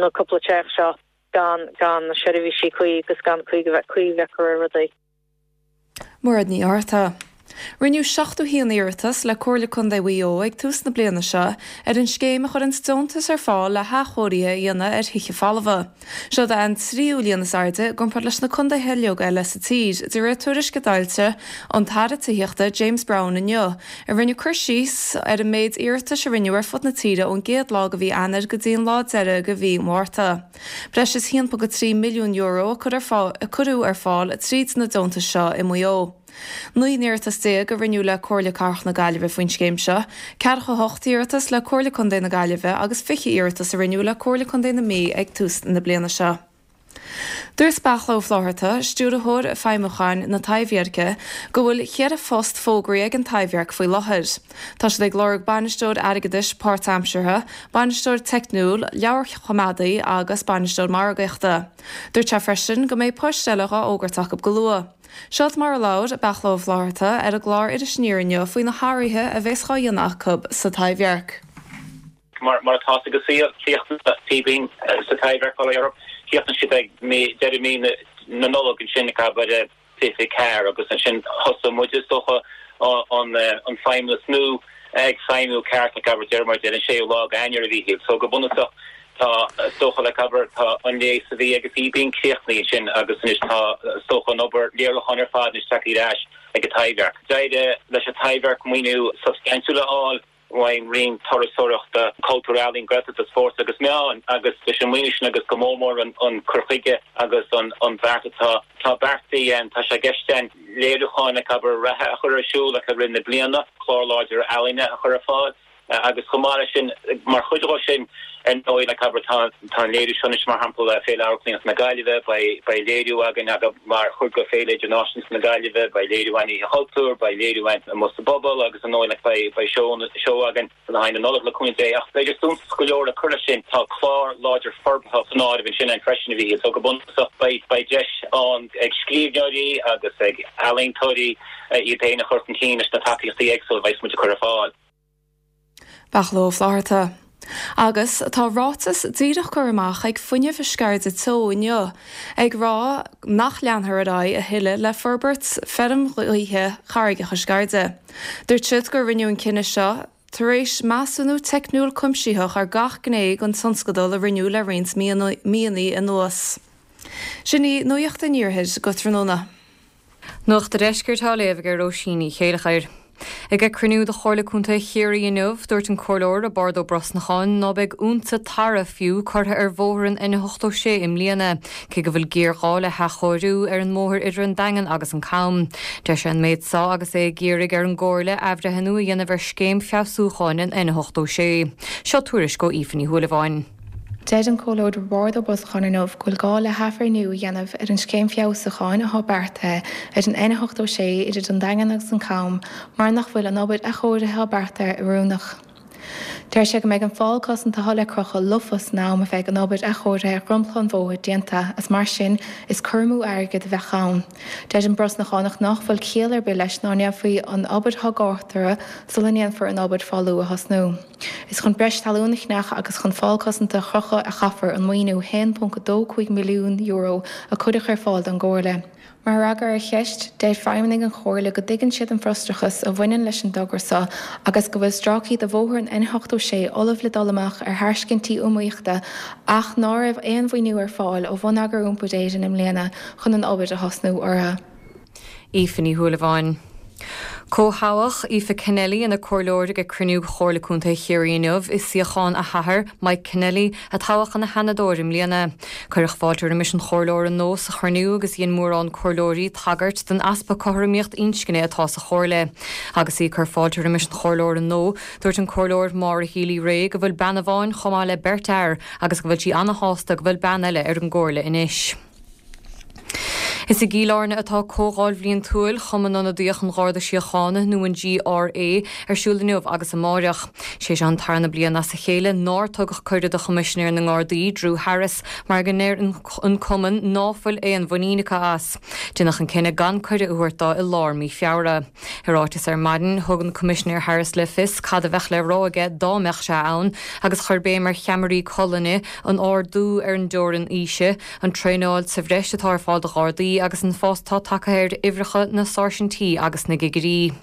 Speaker 11: na cúpla teach seo gan gan na seirbhísí cuí agus gan caoi a bheith caoi a bheith acu ar rudaí.
Speaker 8: Mairéad Ní Fhátharta. Rinneadh seachtó haon iarratas le Comhairle Contae Mhaigh Eo ag tús na bliana seo ar an scéim a chuireann deontas ar fáil le hathchóirithe a dhéanamh ar thithe folmha. Seo an tríú líon is airde i gcomparáid leis na contaetha uilig eile sa tír, de réir tuairisc a d'fhoilsigh an tAire Tithíochta James Browne inniu, a rinne cur síos ar an méid iarratais a rinneadh ar fud na tíre ón gcéad lá de mhí Eanáir go dtí an lá deiridh de mhí Márta. Breis is haon ponc trí milliún euro a cuireadh ar fáil tríd na deontais seo i Maigh Eo. Naoi n-iarratas déag a rinneadh le Comhairle Cathrach na Gaillimhe faoin scéim seo, ceathracha a hocht iarratas le Comhairle Contae na Gaillimhe agus fiche iarratas a rinneadh le Comhairle Contae na Mí ag tús na bliana seo. Dúirt Beartla Ó Flatharta, Stiúrthóir Feidhmiúcháin na Taibhdheirce, go bhfuil ceithre phost fógraithe ag an Taibhdhearc faoi láthair. Tá siad ag lorg bainisteoir airgeadais páirtaimseartha, bainisteoir teicniúil, leabharchoimeádaí agus bainisteoir margaíochta. Dúirt sé freisin go mbeidh poist eile dhá fhógairt acu go luath. Seod mar a labhair Beartla Ó Flatharta ar an gclár Iris Aniar inniu faoi na hathruithe a bheas dhá dhéanamh acu sa Taibhdhearc.
Speaker 12: Mar mar atá sa saol, críochnaigh Fíbín sa Taibhdhearc fáil Europe, críochnaigh siad ag mí deireadh mí na Nollag ansin ag abair fiche ceathair agus ansin thosaigh muid is dócha an an feidhmeannas nua ag feidhmiú ceart ag abair deireadh mar deir an séú lá d'Eanáir a Mhíchíl. So go bunúsach tá is dócha le abair tá an léas a bhí ag Fíbín críochnaithe ansin agus anois tá is dócha an obair léiriúcháin ar fad anois tagtha ar ais ag an Taibhdhearc. D'éirigh leis an Taibhdhearc maoiniú substaintiúil a fháil ón Roinn Turasóireachta, Cultúir, Ealaíon, Gaeltachta, Spóirt agus Meán agus leis an maoiniú sin agus go mór mór an an cur chuige agus an an beart atá tá beartaithe tá sé i gceist againn léiriúcháin ag abair reatha a chur ar siúl ag rith na bliana, clár láidir ealaíne a chur ar fáil. Agus chomh maith leis sin, mar chuid de sin, ar ndóigh, like abair, tá tá an léiriú seo anois, mar shampla, Féile Amharclannaíochta na Gaillimhe, beidh beidh léiriú againn aga mar chuid de Féile Idirnáisiúnta na Gaillimhe, beidh léiriú againn Oíche Chultúir, beidh léiriú againn amuigh sa bpobal agus ar ndóigh, like, beidh beidh seó seó againn le haghaidh na Nollag le cúnamh Dé. Ach b'fhéidir suntas go leor le cur leis sin, tá clár láidir forbartha san áireamh ansin againn freisin, a Mhíchíl, so go bunúsach beidh beidh deis ann ag scríbhneoirí agus ag ealaíontóirí iad féin a chur chun cinn leis na tacaíochtaí éagsúla a bheas muid ag cur ar fáil.
Speaker 8: Beartla Ó Flatharta. Agus tá ráiteas díreach curtha amach ag Fuinneamh Sceirde Teo inniu, ag rá nach leanfar ar aghaidh a thuilleadh le forbairt feirm ghaoithe Charraigeacha Sceirde. Dúirt siad gur rinneadh an cinneadh seo tar éis measúnú teicniúil cuimsitheach ar gach gné den tionscadal a rinneadh le roinnt míonna anuas. Sin í Nuacht an Iarthair go tráthnóna.
Speaker 13: Nuacht an Deiscirt á léamh ag Róisín Ní Chéilleachair. Ag cruinniú de Chomhairle Contae Chiarraí inniu, dúirt an Comhairleoir Roibeárd Ó Brosnacháin ná beidh unsa tarra fiú curtha ar bhóthar an N ochtó sé i mbliana, cé go bhfuil géarghá le hathchóiriú ar an mbóthar idir an Daingean agus an Cam. Deir sé an méid seo agus é ag iarraidh ar an gComhairle athbhreithniú a dhéanamh ar scéim feabhsúcháin an N ochtó sé. Seo tuairisc ó Aoife Ní Shúilleabháin.
Speaker 14: Deir an Comhairleoir Roibeárd Ó Brosnacháin inniu go bhfuil gá le hathbhreithniú a dhéanamh ar an scéim feabhsúcháin atá beartaithe ar an N ochtó sé idir an Daingean agus an Cam mar nach bhfuil an obair athchóirithe atá beartaithe oiriúnach. Deir sé go mbeidh an fál cosanta atá le crochadh lofa san am a bheidh an obair athchóirithe ar dhromchla an bhóthair déanta agus mar sin is cur amú airgid a bheadh ann. Deir an Brosnachánach nach bhfuil ciall ar bith leis ná ndéanfaí an obair atá gátara sula ndéanfar an obair fálú a thosnú. Is chun breis talún a cheannach agus chun fál cosanta a chrochadh a chaithfear an maoiniú a haon ponc a dó cúig milliún euro a cuireadh ar fáil don gComhairle. Mar fhreagra ar cheist, deir feidhmeannaigh an Chomhairle go dtuigeann siad an frustrachas a bhaineann leis an dtogra seo agus go bhfuil stráicí de bhóthar an N ochtó sé ullamh le dul amach ar thairscintí iomaíochta ach ná raibh aon mhaoiniú ar fáil ó Bhonneagar Iompair Éireann i mbliana chun an obair a thosnú orthu.
Speaker 13: Aoife Ní Shúilleabháin. Comhthoghadh Aoife Kennelly ina comhairleoir ag cruinniú Chomhairle Contae Chiarraí inniu i suíochán a hathar, Mike Kennelly, a toghadh ina sheanadóir i mbliana. Cuireadh fáilte roimis an chomhairleoir nua sa chruinniú agus dhein mórán comhairleoirí tagairt don easpa cothromaíocht inscne atá sa chomhairle. Agus í ag cur fáilte roimis an chomhairleoir nua, dúirt an comhairleoir Maura Healy Rae go bhfuil bean amháin chomh maith le beirt fhear agus go bhfuil sí ana-shásta go bhfuil bean eile ar an gcomhairle anois. Is i gCill Airne atá Comhdháil Bhliantúil Chumann Ionadaíoch an Gharda Síochána, nó an GRA, ar siúl inniu agus amáireach. Sé seo an tarna bliain as a chéile nár tugadh cuireadh do Choimisinéir na nGardaí, Drew Harris, mar go ndeir an cumann ná fuil aon mhuinín acu as. Deineadh an cinneadh gan cuireadh a thabhairt dó i lár mí Feabhra. I ráiteas ar maidin, thug an Coimisinéir Harris le fios cad a bheadh le rá aige dá mbeadh sé ann agus chuir béim ar cheamaraí colainne, an ardú ar an dteorainn aoise, an traenáil sa bhreis atá ar fáil do Ghardaí tithí agus an fás atá tagtha ar uimhreacha na sáirsintí agus na gcigirí.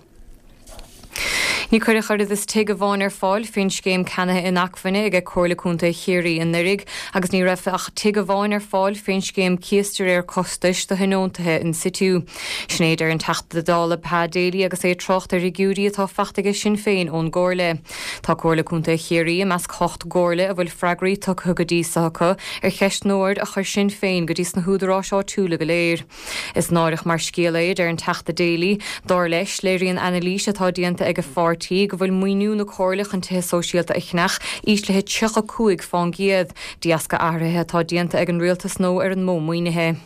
Speaker 13: Ní cuireadh oiread is tigh amháin ar fáil faoin scéim ceannaithe inacmhainne ag Comhairle Contae Chiarraí anuraidh agus ní raibh ach tigh amháin ar fáil faoin scéim cíos de réir costais do thionóntaithe in situ. Sin é a deir an Teachta Dála Pa Daly agus é ag trácht ar fhigiúirí atá faighte aige Sinn Féin ón gComhairle. Tá Comhairle Contae Chiarraí i measc hocht gcomhairle a bhfuil freagraí tugtha go dtí so acu ar cheistneoir a chuir Sinn Féin go dtí sna húdaráis áitiúla go léir. Is náireach mar scéal é, a deir an Teachta Daly. Dar leis, léiríonn anailís atá déanta ag a pháirtí go bhfuil maoiniú na Comhairle chun tithe sóisialta a cheannach íslithe tríocha cúig fán gcéad, de dheasca athruithe atá déanta ag an rialtas nó ar an modh maoinithe.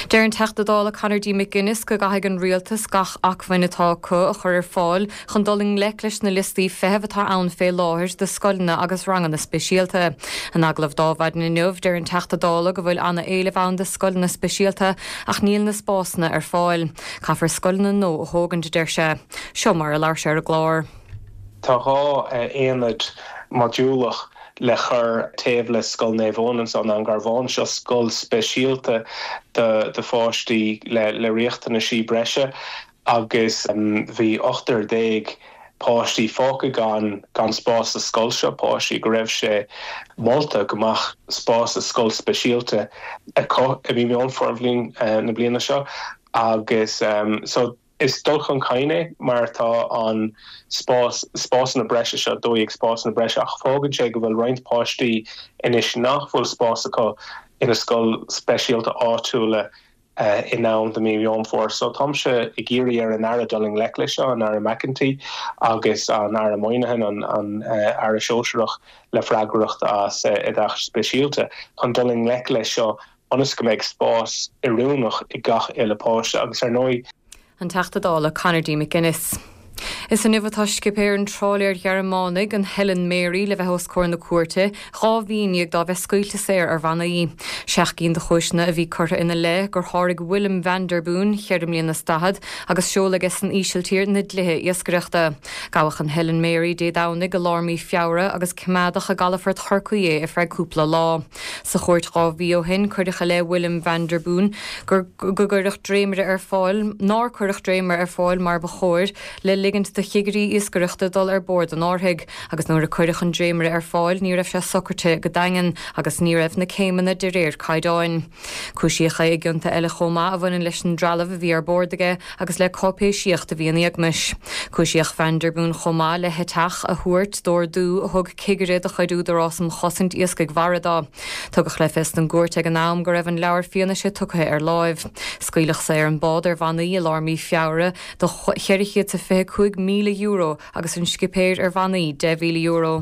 Speaker 13: Deir an Teachta Dála Conor D. McGuinness go gcaithfidh an rialtas gach acmhainn atá acu a chur ar fáil chun dul i ngleic leis na liostaí feithimh atá ann fé láthair do scoileanna agus ranganna speisialta. In agallamh d'Adhmhaidin inniu, deir an Teachta Dála go bhfuil ana-éileamh ann do scoileanna speisialta ach níl na spásanna ar fáil. Caithfear scoileanna nua a thógaint, a deir sé. Seo mar a labhair sé ar an gclár.
Speaker 15: Tá dhá aonad modúlach le chur taobh le Scoil Naomh Eoin anso in An Garbhán, seo scoil speisialta do do pháistí le le riachtanaisí breise agus bhí ochtar déag páistí fágtha gan gan spás sa scoil seo, páistí go raibh sé molta go mbeadh spás sa scoil speisialta acu i mí Meán Fómhair na bliana seo agus so Is dul chun cinn é mar tá an spás, spásanna breise seo, dó dhéag spásanna breise ach fágann sé go bhfuil roinnt páistí anois nach bhfuil spás acu ina scoil speisialta áitiúla in am do mí Mheán Fómhair. So táimse ag iarraidh ar an Aire dul i ngleic leis seo, an Aire McEntee agus an Aire Moynihan, an an Aire Sóisearach le freagracht as oideachas speisialta, chun dul i ngleic leis seo ionas go mbeidh spás oiriúnach ag gach uile páiste agus ar ndóigh
Speaker 13: An Teachta Dála Conor D. McGuinness. Is inniu atá scipéir an trálaeir Ghearmánaigh, an Helen Mary, le bheith os comhair na cúirte, dhá mhí i ndiaidh dá bheith scaoilte saor ar bhannaí. Seacht gcinn de chúiseanna a bhí curtha ina leith, gur sháraigh Willem van der Boon, cheithre mbliana is daichead, agus seol aige san Ísiltír, na dlíthe iascaireachta. Gabhadh an Helen Mary Dé Domhnaigh i lár mí Feabhra agus coimeádadh i gcalafort Chorcaí é ar feadh cúpla lá. Sa chúirt dhá mhí ó shin, cuireadh i leith Willem van der Boon gur go gcuireadh dréimire ar fáil, nár cuireadh dréimire ar fáil mar ba chóir le ligint do chigirí iascaireachta dul ar bord an árthaigh, agus nuair a cuireadh an dréimire ar fáil ní raibh sé socraithe go daingean agus ní raibh na céimeanna de réir caighdeáin. Cúisíodh é i gcionta eile chomh maith a bhaineann leis an dtrealamh a bhí ar bord aige agus le cáipéisíocht a bhí in éagmais. Cúisíodh Van der Boon chomh maith le heiteach a thabhairt d'ordú a thug cigire de chuid Údarás um Chosaint Iascaigh Mhara dó. Tugadh le fios don gcúirt ag an am go raibh an leabhar fianaise tugtha ar láimh. Scaoileadh saor an bád ar bhannaí i lár mí Feabhra do cheithre chéad is a fiche cúig míle euro agus an scipéir ar bhannaí deich mhíle euro.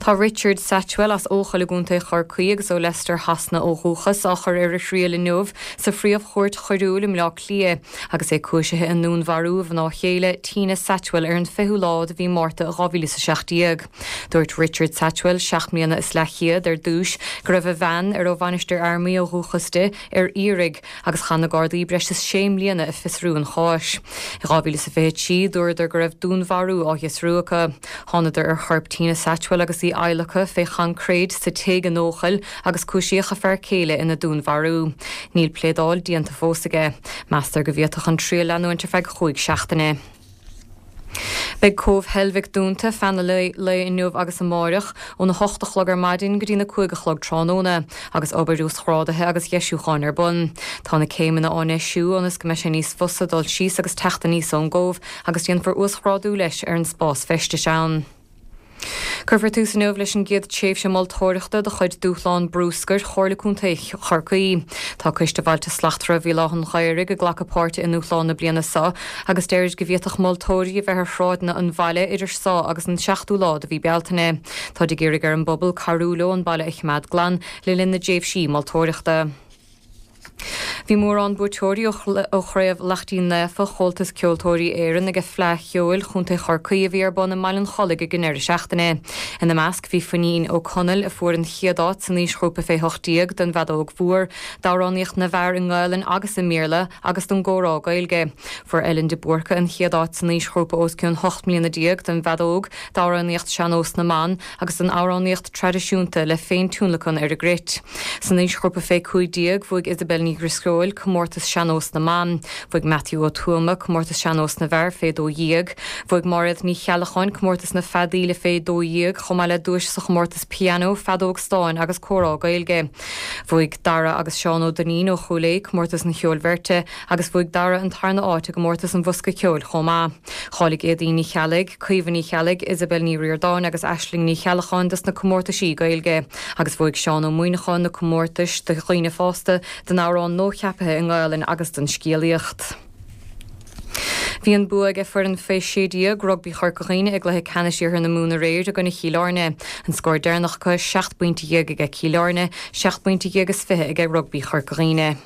Speaker 13: Tá Richard Satchwell as Eochaill i gContae Chorcaí agus ó Leicester Shasana ó dhúchas á chur ar a thriail inniu sa Phríomh-Chúirt Choiriúil i mBleá Cliath agus é cúisithe i ndúnmharú a mhná chéile, Tina Satchwell ar an fichiú lá de mhí Márta dhá mhíle is a seacht déag. Dúirt Richard Satchwell, seacht mbliana is leathchéad, ar dtús go raibh a bhean, ar ó Mhainistir Fhear Maí ó dhúchas di, ar iarraidh agus chaith na Gardaí breis is sé mbliana ag fiosrú an cháis. I dhá mhíle is a fiche trí, dúradar go raibh dúnmharú á fhiosrú acu. Thánadar ar chorp Tina Satchwell agus í adhlactha fé choincréit sa tigh in Eochaill agus cúisíodh a fear céile ina dúnmharú. Níl pléadáil déanta fós aige. Meastar go bhféadfadh an triail leanúint ar feadh chúig seachtaine. Beidh Cóbh Heilbhic dúnta feadh an lae inniu agus amáireach, óna hocht a chlog ar maidin go dtína cúig a chlog tráthnóna, agus obair uasghrádaithe agus dheisiúcháin ar bun. Tá na céimeanna á ndeisiú ionas go mbeidh sé níos fusa dul síos agus teacht aníos ón gcóbh agus déanfar uasghrádú leis ar an spás feistis ann. Cuirfear tús inniu leis an gcéad tréimhse moltóireachta de chuid Dúshlán Brúscair Chomhairle Contae Chorcaí. Tá Coiste Bhailte Slachtmhara Bhéal Átha an Ghaorthaidh ag glacadh páirte i ndúshlán na bliana seo agus deirid go bhféadfadh moltóirí a bheith ar shráideanna an bhaile idir seo agus an seachtú lá de mhí Bealtaine. Táid ag iarraidh ar an bpobal cabhrú leo an baile a choimeád glan le linn na dtréimhsí moltóireachta. Bhí Bhí mórán buaiteoirí ó Chraobh Laichtín Naofa Chomhaltas Ceoltóirí Éireann ag Fleadh Cheoil Chontae Chorcaí a bhí ar bun i mBaile an Chollaigh ag an deireadh seachtaine. Ina measc bhí Finín Ó Conaill a fuair an chéad áit san aoisghrúpa fé hocht déag don bhfeadóg mhór, d'amhránaíocht na bhfear i nGaelainn agus i mBéarla agus don gcomhrá Gaeilge. Fuair Ellen de Búrca an chéad áit san aoisghrúpa os cionn hocht mbliana déag don bhfeadóg, d'amhránaíocht sean-nós na mban agus don amhránaíocht traidisiúnta le féintionlacan ar an gcruit. San aoisghrúpa fé cúig déag bhuaigh Isabel Ní Dhrisceoil comórtas sean-nós na mban. Bhuaigh Matthew Ó Tuama comórtas sean-nós na bhfear fé dó dhéag. Bhuaigh Máiréad Ní Cheallacháin comórtas na feadaíle fé dó dhéag chomh maith le duais sa chomórtas pianó, feadóg stáin agus comhrá Gaeilge. Bhuaigh Dara agus Seán Ó Duinnín ó Chúil Aodha comórtas an cheoil bheirte agus bhuaigh Dara an tarna áit i gcomórtas an bhosca ceoil chomh maith. Cháiligh Éadaoin Ní Cheallaigh, Caoimhe Ní Cheallaigh, Isabel Ní Ríordáin agus Aisling Ní Cheallacháin dos na comórtaisí Gaeilge agus bhuaigh Seán Ó Muimhneacháin na comórtais do dhaoine fásta, don amhrán nuacheaptha i nGaelainn agus don scéalaíocht. Bhí an bua ag foireann fé sé déag rugbaí Chorca Dhuibhne i gcluiche ceannais Iarthar na Mumhan aréir i gcoinne Chill Airne. An scór deireanach acu seacht bpointe dhéag aige Cill Airne, seacht bpointe dhéag is fiche aige rugbaí Chorca Dhuibhne.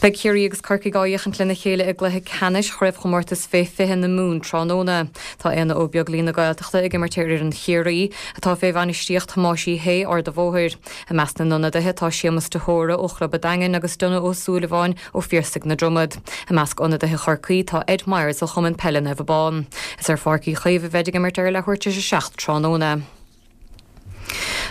Speaker 13: Beidh Ciarraí agus Corcaigh á fhéachaint lena chéile i gcluiche ceannais chraobhchomórtas fé fiche na Mumhan tráthnóna. Tá Éanna Ó Beaglaoi na Gaeltachta ag imirt ar fhoireann Chiarraí, atá fé bhainistíocht Thomáis Uí Shé, Ard a' Bhóthair. I measc na n-ionadaithe tá Séamus de hÓra ó Chlub a' Daingin agus Donogh Ó Súilleabháin ó Phiarsaigh na Dromad. I measc ionadaithe Chorcaí tá Ed Myers ó Chumann Peile Naomh Abán. Is ar Pháirc Uí Chaoimh a bheidh ag imirt ar a leathuair tar éis a seacht tráthnóna.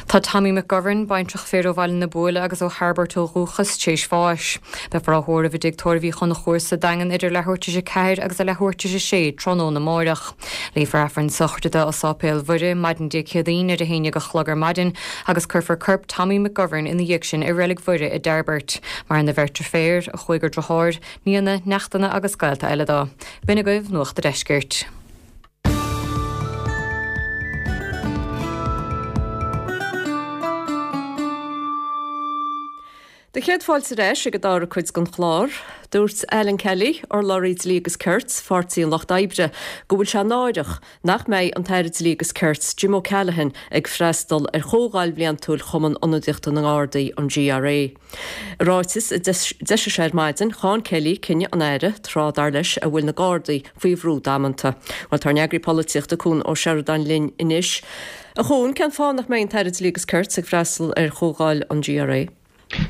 Speaker 13: Tá Tommy McGovern, baintreach fir ó Bhaile na Buaile agus ó Thairbeart ó dhúchas, tar éis bháis. Beifear á thórramh i dTigh Tórraimh Uí Chonchúir sa Daingean idir leathuair tar éis a ceathair agus a leathuair tar éis a sé tráthnóna amáireach. Léifear Aifreann sochraide dó i Sáipéal Mhuire maidin Dé Céadaoin ar a haon déag a chlog ar maidin agus cuirfear corp Tommy McGovern ina dhiaidh sin i Reilig Mhuire i dTairbeart. Maireann a bheirt deirféar, a chúigear deartháir, nianna, neachtanna agus gaolta eile dó. B'in agaibh Nuacht a' Deiscirt.
Speaker 1: Do chéad fáilte ar ais ag an dara cuid den chlár. Dúirt Alan Kelly, urlabhraí Dlí agus Cirt, Pháirtí an Lucht Oibre, go bhfuil sé náireach nach mbeidh an tAire Dlí agus Cirt, Jim O'Callaghan, ag freastal ar chomhdháil bhliantúil Chumann Ionadaíochta na nGardaí, an GRA. I ráiteas a d'eisigh sé ar maidin, cháin Kelly cinneadh an Aire, tráth, dar leis, a bhfuil na Gardaí faoi bhrú damanta. Bhuel, tá ár n-eagraí polaitíochta Cuan Ó Seireadáin linn anois. A Chuain, cén fáth nach mbeidh an tAire Dlí agus Cirt ag freastal ar chomhdháil an GRA?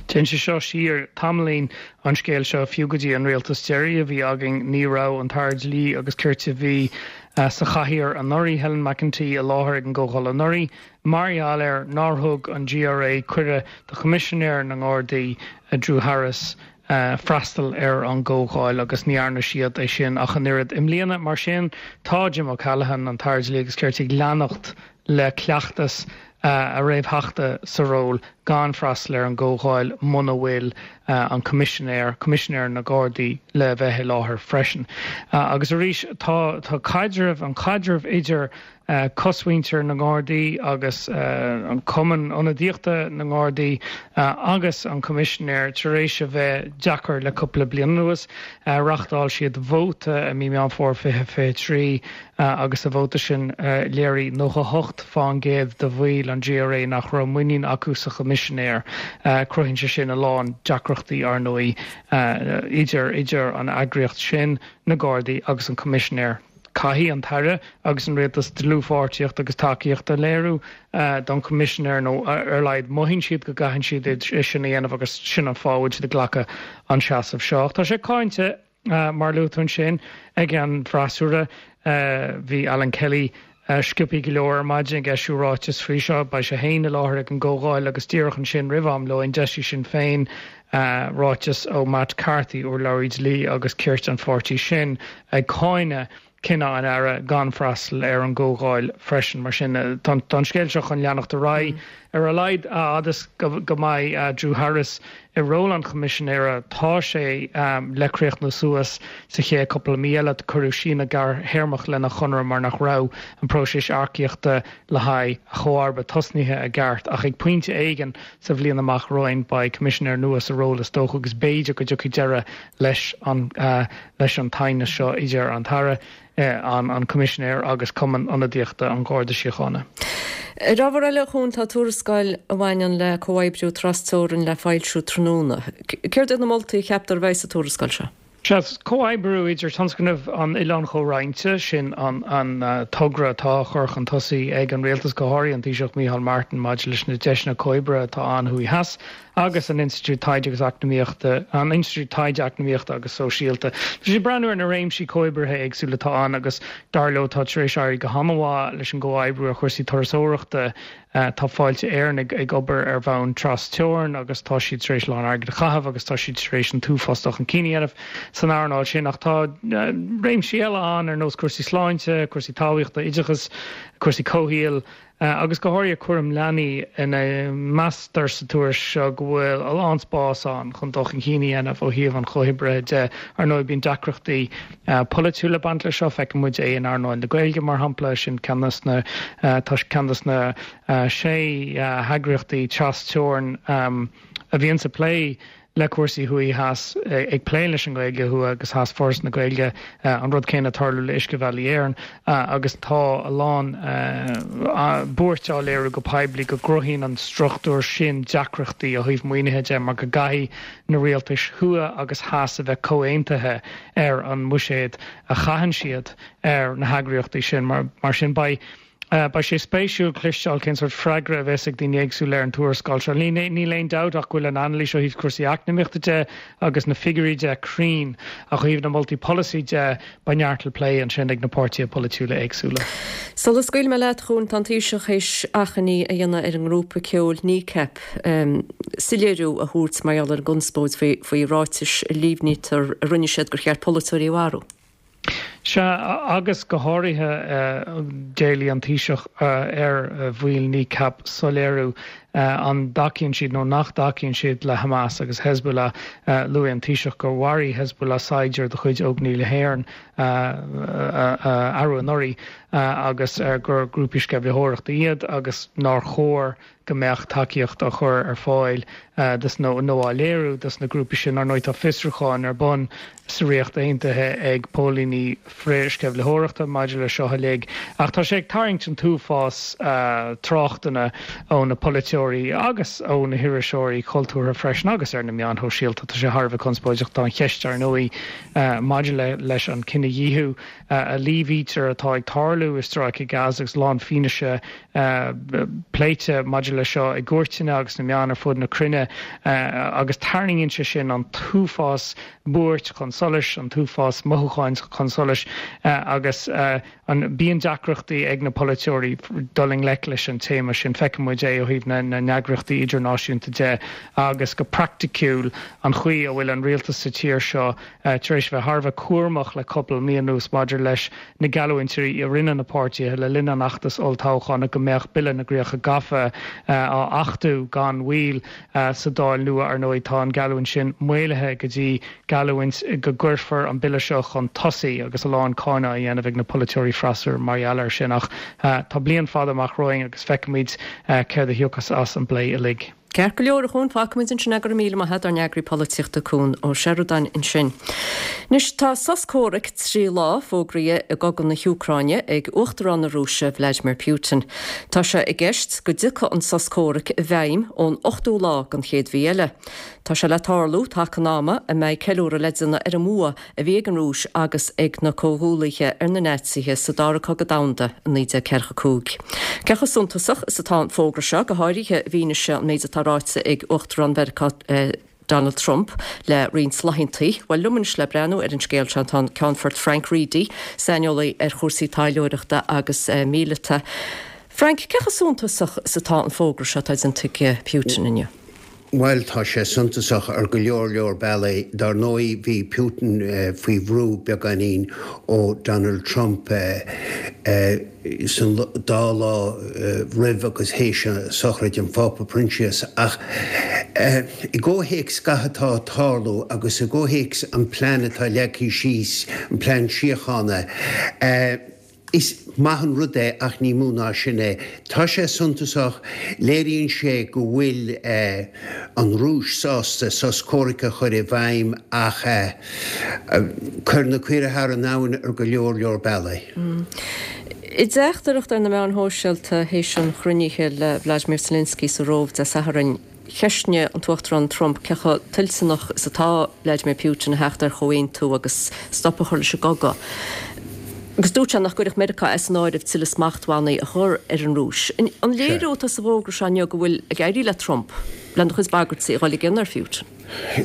Speaker 16: Téann sé seo siar tamaillín an scéal seo, fiú go dtí an rialtas deiridh a bhí againn, ní raibh an tAire Dlí agus Cirt a bhí sa chathaoir anuraidh, Helen McEntee, i láthair ag an gcomhdháil anuraidh, mar gheall ar nár thug an GRA cuireadh do Choimisinéir na nGardaí, Drew Harris, freastal ar an gcomhdháil agus ní dhearna siad é sin ach an oiread i mbliana. Mar sin, tá Jim O'Callaghan, an tAire Dlí agus Cirt, ag leanacht le cleachtas a réamhtheachta sa ról gan freastal ar an gcomhdháil muna bhfuil an Coimisinéir, Coimisinéir na Gardaí le bheith i láthair freisin. Agus arís tá tá caidreamh, an caidreamh idir cosmhuintir na nGardaí agus an Cumann Ionadaíochta na nGardaí agus an Coimisinéir tar éis a bheith deacair le cúpla bliain anuas. Reáchtáil siad vóta i mí Meán Fómhair fiche fiche trí agus sa vóta sin léirigh nócha a hocht fán gcéad de bhaill an GRA nach raibh muinín acu sa Choimisinéir. Cruthaíonn sé sin a lán deacrachtaí, ar ndóigh, idir idir an eagraíocht sin, na Gardaí agus an Coimisinéir. Caithfidh an tAire agus an Rialtas dlúthpháirtíocht agus tacaíocht a léiriú don Choimisinéir nó ar a laghad mothaíonn siad go gcaitheann siad é sin a dhéanamh agus sin an fáth a bhfuil siad ag glacadh an seasamh seo. Ach tá sé cáinte, mar a luaigh tú ansin, ag an bhfreasúra. Bhí Alan Kelly sciobtha go leor ar maidin ag eisiú ráiteas faoi seo. Beidh sé féin i láthair ag an gcomhdháil agus díreach ansin roimh am lóin d'eisigh Sinn Féin ráiteas ó Matt Carthy, urlabhraí dlí agus cirt an pháirtí sin, ag cáineadh cinneadh an Aire gan freastal ar an gcomhdháil freisin. Mar sin, tá an scéal seo chun leanacht ar aghaidh. Ar a laghad, a fhad is go mbeidh Drew Harris i ról an Choimisinéara, tá sé le críochnú suas sa chéad cúpla mí eile. Cuireadh síneadh gearrthéarmach lena chonradh mar nach raibh an próiseas earcaíochta le haghaidh a chomharba tosnaithe i gceart. Ach ag pointe éigin sa bhliain amach romhainn, beidh Coimisinéir nua sa ról is dócha agus b'fhéidir go dtiocfaidh deireadh leis an leis an t-aighneas seo idir an tAire, an Coimisinéir agus Cumann Ionadaíochta an Gharda Síochána.
Speaker 1: Ar ábhar eile, a Chuain, tá tuarascáil a bhaineann le comhoibriú trasteorann le foilsiú tráthnóna. Céard iad na moltaí a cheaptar a bheidh sa tuarascáil seo?
Speaker 16: Sea, comhoibriú idir tionscnamh an Oileáin Chomhroinnte, sin an an togra atá á chur chun tosaigh ag an rialtas, go háirithe an Taoiseach Micheál Martin, maidir leis na deiseanna comhoibre atá ann thuaidh theas, agus an Institiúid Taighde agus Eacnamaíochta, an Institiúid Taighde Eacnamaíochta agus Sóisialta. Tá siad ag breathnú ar na réimsí comhoibrithe éagsúla atá ann agus dar leo tá tar éis éirí go han-mhaith leis an gcomhoibriú ar chúrsaí turasóireachta. Tá Fáilte Éireann ag ag obair ar bhonn tras-teorann agus tá siad tar éis a lán airgid a chaitheamh agus tá siad tar éis an t-uafás dul chun cinn a dhéanamh san earnáil sin. Ach tá réimsí eile ann ar nós cúrsaí sláinte, cúrsaí talmhaíochta, oideachas, cúrsaí comhshaoil, agus go háirithe cúram leanaí ina meastar sa tuairisc seo go bhfuil a lán spás ann chun dul chun cinn a dhéanamh ó thaobh an chomhoibrithe de. Ar ndóigh bíonn deacrachtaí polaitiúla ag baint leis seo, feiceann muid é in earnáil na Gaeilge mar shampla, sin ceann de na tá ceann de na sé heagraíochtaí tras-teorann a bhíonns ag plé le cúrsaí thuaidh theas, ag plé leis an nGaeilge thuaidh agus theas, Foras na Gaeilge, an rud céanna ag tarlú le Uiscebhealaí Éireann agus tá a lán buairt á léiriú go poiblí go gcruthaíonn an struchtúr sin deacrachtaí ó thaobh maoinithe de mar go gcaithfidh na rialtais thuaidh agus theas a bheith comhaontaithe ar an mbuiséad a chaitheann siad ar na heagraíochtaí sin. Mar sin beidh Beidh sé spéisiúil cloisteáil cén sórt freagra a bheas ag daoine éagsúla ar an tuarascáil seo. Níl aon dabht ach go bhfuil an anailís ó thaobh cúrsaí eacnamaíochta de agus na figiúirí de cruinn, ach ó thaobh na moltaí polasaí de, beidh neart le plé ansin ag na páirtithe polaitiúla éagsúla.
Speaker 1: Sula scaoilfidh mé leat, a Chuain, tá an Taoiseach théis achainí a dhéanamh ar an ngrúpa ceoil Kneecap soiléiriú a thabhairt mar gheall ar an gconspóid faoi ráitis a líomhnaítear a rinne siad gur cheart polaiteoirí a mharú.
Speaker 16: Sea, agus go háirithe d'éiligh an Taoiseach ar bhaill Kneecap soiléiriú an dtacaíonn siad nó nach dtacaíonn siad le Hamas agus Hezbollah. Luaigh an Taoiseach gur mharaigh Hezbollah saighdiúir de chuid Óglaigh na hÉireann arú anuraidh agus gur grúpaí sceimhlitheoireachta iad agus nár chóir go mbeadh tacaíocht á chur ar fáil dos nó nó á léiriú dos na grúpaí sin. Ar ndóigh tá fiosrúcháin ar bun sa Ríocht Aontaithe ag póilíní frith-sceimhlitheoireachta maidir le seo uilig ach tá sé ag tarraingt an t-uafás tráchtanna ó na polaiteoirí agus ó na hiriseoirí cultúrtha freisin agus ar na meáin shóisialta. Tá sé thar a bheith conspóideach. Tá an cheist ar ndóigh maidir le leis an cinedhíothú a líomhaítear atá ag tarlú i Stráice Gaza agus a lán fianaise pléite maidir leis seo i gcúirteanna agus sna meáin ar fud na cruinne agus tarraingíonn sé sin an t-uafás buairt chun solais, an t-uafás mothúcháin chun solais agus an bíonn deacrachtaí ag na polaiteoirí dul i ngleic leis an téama sin. Feiceann muid é ó thaobh na n-eagraíochtaí idirnáisiúnta de agus go praiticiúil an chaoi a bhfuil an rialtas sa tír seo tar éis bheith thar a bheith cúramach le cúpla mí anuas maidir leis na geallúintí a rinne na páirtithe le linn an fheachtais olltoghcháin go mbeadh Bille na gCríocha Gafa á achtú gan mhoill sa Dáil nua. Ar ndóigh, tá an gheallúint sin maolaithe go dtí geallúint go gcuirfear an bille seo chun tosaigh agus a lán cáineadh á dhéanamh ag na polaiteoirí freasúra mar gheall air sin. Ach tá bliain fada amach romhainn agus feicfimid céard a thiocfas as an bplé uilig.
Speaker 1: Ceart go leor, a Chuain, fágfaimid ansin é. Go raibh míle maith agat, ár n-eagraí polaitíochta Cuan Ó Seireadáin ansin. Anois tá sos comhraic trí lá fógraithe i gcogadh na hÚcráine ag Uachtarán na Rúise Vladimir Putin. Tá sé i gceist go dtiocfaidh an sos comhraic i bhfeidhm ón ochtú lá den chéad mhí eile. Tá sé le tarlú taca an ama a mbeidh ceiliúradh le déanamh ar an mbua a bhí ag an Rúis agus ag na comhghuaillithe ar na Naitsithe sa Dara Cogadh Domhanda i naoi déag ceathracha cúig. Cé chomh suntasach is atá an fógra seo, go háirithe i bhfianaise an méid atá ráite ag Uachtarán Mheiriceá Donald Trump le roinnt laethanta? Bhuel, liom anois le breathnú ar an scéal seo tá an Ceannfort Frank Reidy, saineolaí ar chúrsaí taidhleoireachta agus míleata. Frank, cé chomh suntasach is atá an fógra seo atá déanta ag Putin inniu?
Speaker 17: Bhuel, tá sé suntasach ar go leor leor bealaí. Dar ndóigh, bhí Putin faoi bhrú beagáinín ó Donald Trump san dá lá roimh agus théis sochraid an Phápa Proinsias. Ach i gcomhthéacs gach atá ag tarlú agus i gcomhthéacs an plean atá leagtha síos, an plean síochána, Is maith an rud é ach ní mó ná sin é. Tá sé suntasach, léiríonn sé go bhfuil an Rúis sásta sos comhraic a chur i bhfeidhm ach cuir na caoirigh thar an abhainn ar go leor leor bealaí.
Speaker 1: I dteachtaireacht ar na meáin shóisialta théis an chruinnithe le Vladimir Zelensky sa Róimh Dé Sathairn, cheistnigh an tUachtarán Trump cé chomh toilteanach is atá Vladimir Putin a theacht ar chomhaontú agus stop a chur leis an gcogadh. Agus dúirt sé nach gcuirfeadh Meiriceá as an áireamh tuilleadh smachtbhannaí a chur ar an Rúis. An léiriú atá sa bhfógra seo inniu go bhfuil ag éirí le Trump lena chuid bagairtí a dhul i gcion ar Putin?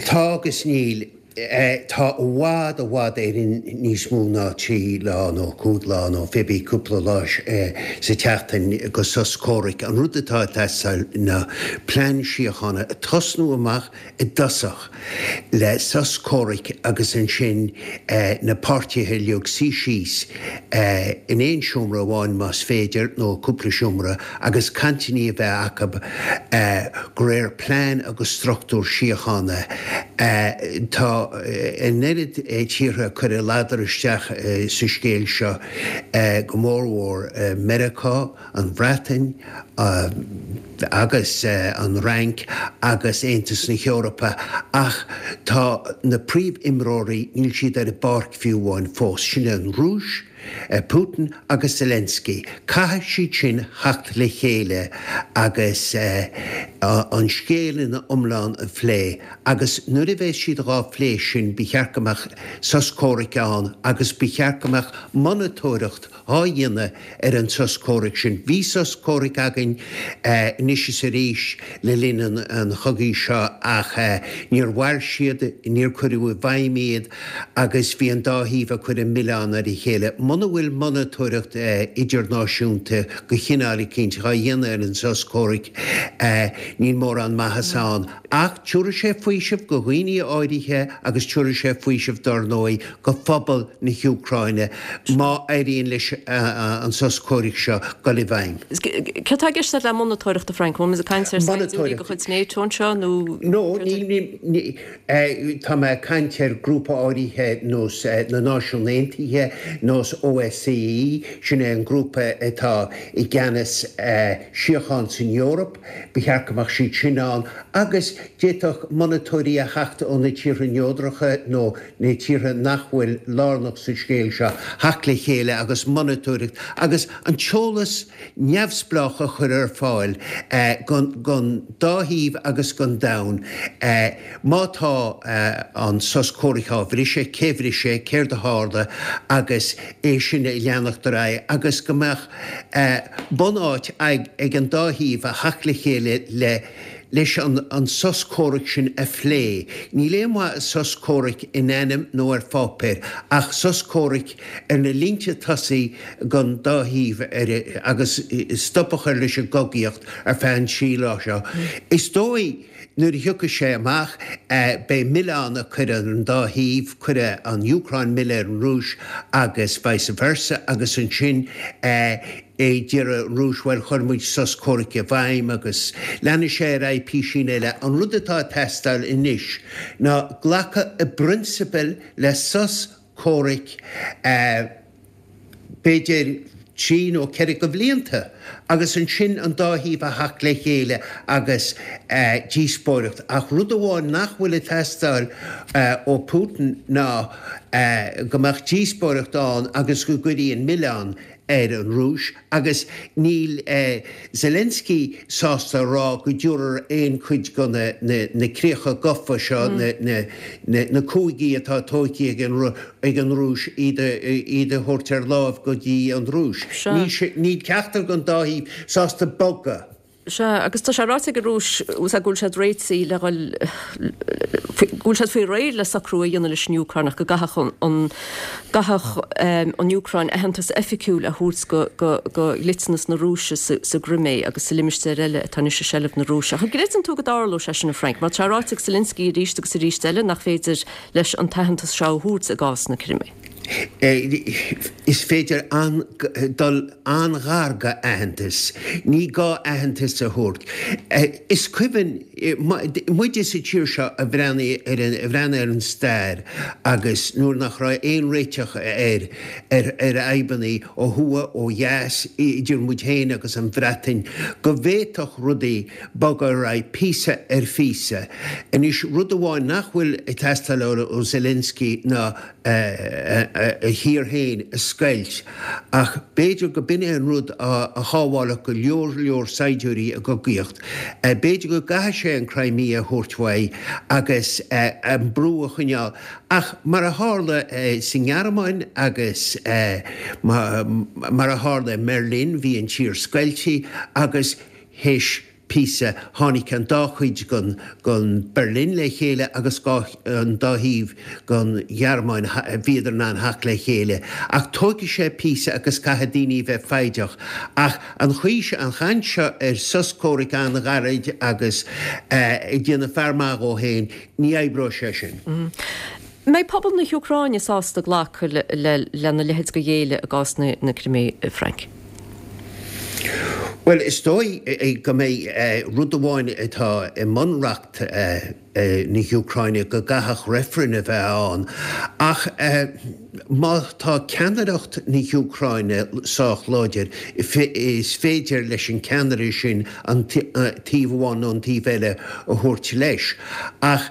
Speaker 17: Tá agus níl. Tá i bhfad, i bhfad Éireann níos mó ná trí lá nó cúig lá nó pé bí cúpla lá sa tseachtain go sos comhraic. An rud atá ag teastáil ná plean síochána, tosnú amach i dtosach le sos comhraic agus ansin na páirtithe uilig suí síos in aon seomra amháin más féidir nó cúpla seomra agus cainteanna a bheith acu de réir plean agus struchtúr síochána. Tá an oiread tíortha ag cur a ladar isteach sa scéal seo, go mórmhór Meiriceá, an Bhreatain agus an Fhrainc agus Aontas na hEorpa, ach tá na príomhimreoirí, níl siad ar an bpáirc fiú amháin fós, sin an Rúis, Putin agus Zelensky. Caithfidh siad sin theacht le chéile agus an scéal ina iomlán a phlé agus nuair a bheas siad dhá phlé sin ba cheart go mbeadh sos comhraic ann agus ba cheart go mbeadh monatóireacht dhá dhéanamh ar an sos comhraic sin. Bhí sos comhraic againn anois is arís le linn an chogaidh seo ach níor mhair siad, níor cuireadh i bhfeidhm iad agus bhí an dá thaobh ag cur an milleán ar a chéile. Muna bhfuil monatóireacht idirnáisiúnta de chineál eicínt dhá dhéanamh ar an sos comhraic níl mórán maitheasa ann. Ach tiúrfaidh sé faoiseamh go dhaoine áirithe agus tiúrfaidh sé faoiseamh dár ndóigh go phobal na hÚcráine má éiríonn leis an sos comhraic seo dul i bhfeidhm.
Speaker 1: Céard atá i gceist le monatóireacht, a Frank? Bhfuil muid ag caint ar saighdiúirí de chuid NATO anseo nó?
Speaker 17: No, níl, tá mé ag caint ar grúpa áirithe nós na Náisiún Aontaithe, nós OSCE, sin é an grúpa atá i gceannas síocháin san Eoraip, ba cheart go mbeadh siad sin ann agus d'fhéadfadh monatóirí a theacht ó na tíortha neodracha nó na tíortha nach bhfuil lárnach sa scéal seo, theacht le chéile agus monatóireacht agus an t-eolas neamhspleách a chur ar fáil don dá thaobh agus don domhan má tá an sos comhraic á bhriseadh, cé bhris é, céard a tharla agus é sin a leanacht ar aghaidh agus go mbeadh bunáit ag an dá thaobh a theacht le chéile le leis an sos comhraic sin a phlé. Níl aon mhaith i sos comhraic in ainm nó ar pháipéar ach sos comhraic ar na línte tosaigh don dá thaobh agus stop a chur leis an gcogaíocht ar feadh an trí lá seo. Is dóigh nuair a thiocfaidh sé amach beidh milleán á chur ar an dá thaobh, cuirfidh an Úcráin milleán ar an Rúis agus vice versa agus ansin déarfaidh an Rúis bhuel chuir muid sos comhraic i bhfeidhm agus leanfaidh sé ar aghaidh písín eile. An rud atá ag teastáil anois ná glacadh i bprionsabal le sos comhraic b'fhéidir trí nó ceithre de bhlianta agus ansin an dá thaobh a theacht le chéile agus díospóireacht. Ach rud amháin nach bhfuil ag teastáil ó Putin ná go mbeadh díospóireacht ann agus go gcuirfí an milleán ar an Rúis agus níl Zelensky sásta a rá go dtabharfar aon chuid de na críocha gafa seo, na cúigí atá tógtha ag an Rúis, iad a thabhairt ar láimh go dtí an Rúis. Níl ceachtar den dá thaobh sásta bogadh.
Speaker 1: Sea, agus tá sé ráite ag an Rúis go bhfuil siad réitithe le dhul, go bhfuil siad faoi réir le socrú a dhéanamh leis an Úcráin ach go gcaithfeadh an, gcaithfeadh an Úcráin aitheantas oifigiúil a thabhairt go, go, go dhliteanas na Rúise sa, sa gCrimé agus sa limistéar eile atá anois i seilbh na Rúise. Ach an gcreideann tú go dtarlóidh sé sin, a Frank? Mar tá sé ráite ag Zelensky arís agus arís eile nach féidir leis an t-aitheantas seo a thabhairt i gcás na Crimé.
Speaker 17: Is féidir dul an-ghar go aitheantas. Ní gá aitheantas a thabhairt. Is cuimhin, muide sa tír seo a bhreathnaigh ar an, a bhreathnaigh ar an stair agus nuair nach raibh aon réiteach ar, ar, ar fhadhbanna ó thuaidh, ó dheas, idir muid féin agus an Bhreatain, go bhféadfadh rudaí bogadh ar aghaidh píosa ar phíosa. Anois, rud amháin nach bhfuil ag teastáil ó Zelensky ná, a thír féin a scoilt, ach b'fhéidir go b'in é an rud a shábhálfadh go leor leor saighdiúirí i gcogaíocht. B'fhéidir go gcaithfidh sé an Crimea a thabhairt uaidh agus an brú a choinneáil. Ach mar a tharla sa nGearmáin agus mar a tharla i mBeirlín, bhí an tír scoilte agus théis píosa, tháinig an dá chuid den Berlin le chéile agus an dá thaobh den Ghearmáin, bhíodar in ann theacht le chéile. Ach tógfaidh sé píosa agus caithfidh daoine a bheith foighdeach. Ach an chaoi seo, an chaint seo ar sos comhraic an-ghairid agus ag déanamh fear maith dhó féin, ní oibreoidh sé sin.
Speaker 1: An mbeidh pobal na hÚcráine sásta glacadh lena leithéid de ghéilleadh i gcás na Crimé, a Frank?
Speaker 17: Bhuel, is dóigh go mbeidh rud amháin atá i mbunreacht na hÚcráine go gcaithfeadh reifreann a bheith ann, ach má tá ceannaireacht na hÚcráine sách láidir, is féidir leis an ceannaire sin an taobh amháin nó an taobh eile a thabhairt leis. Ach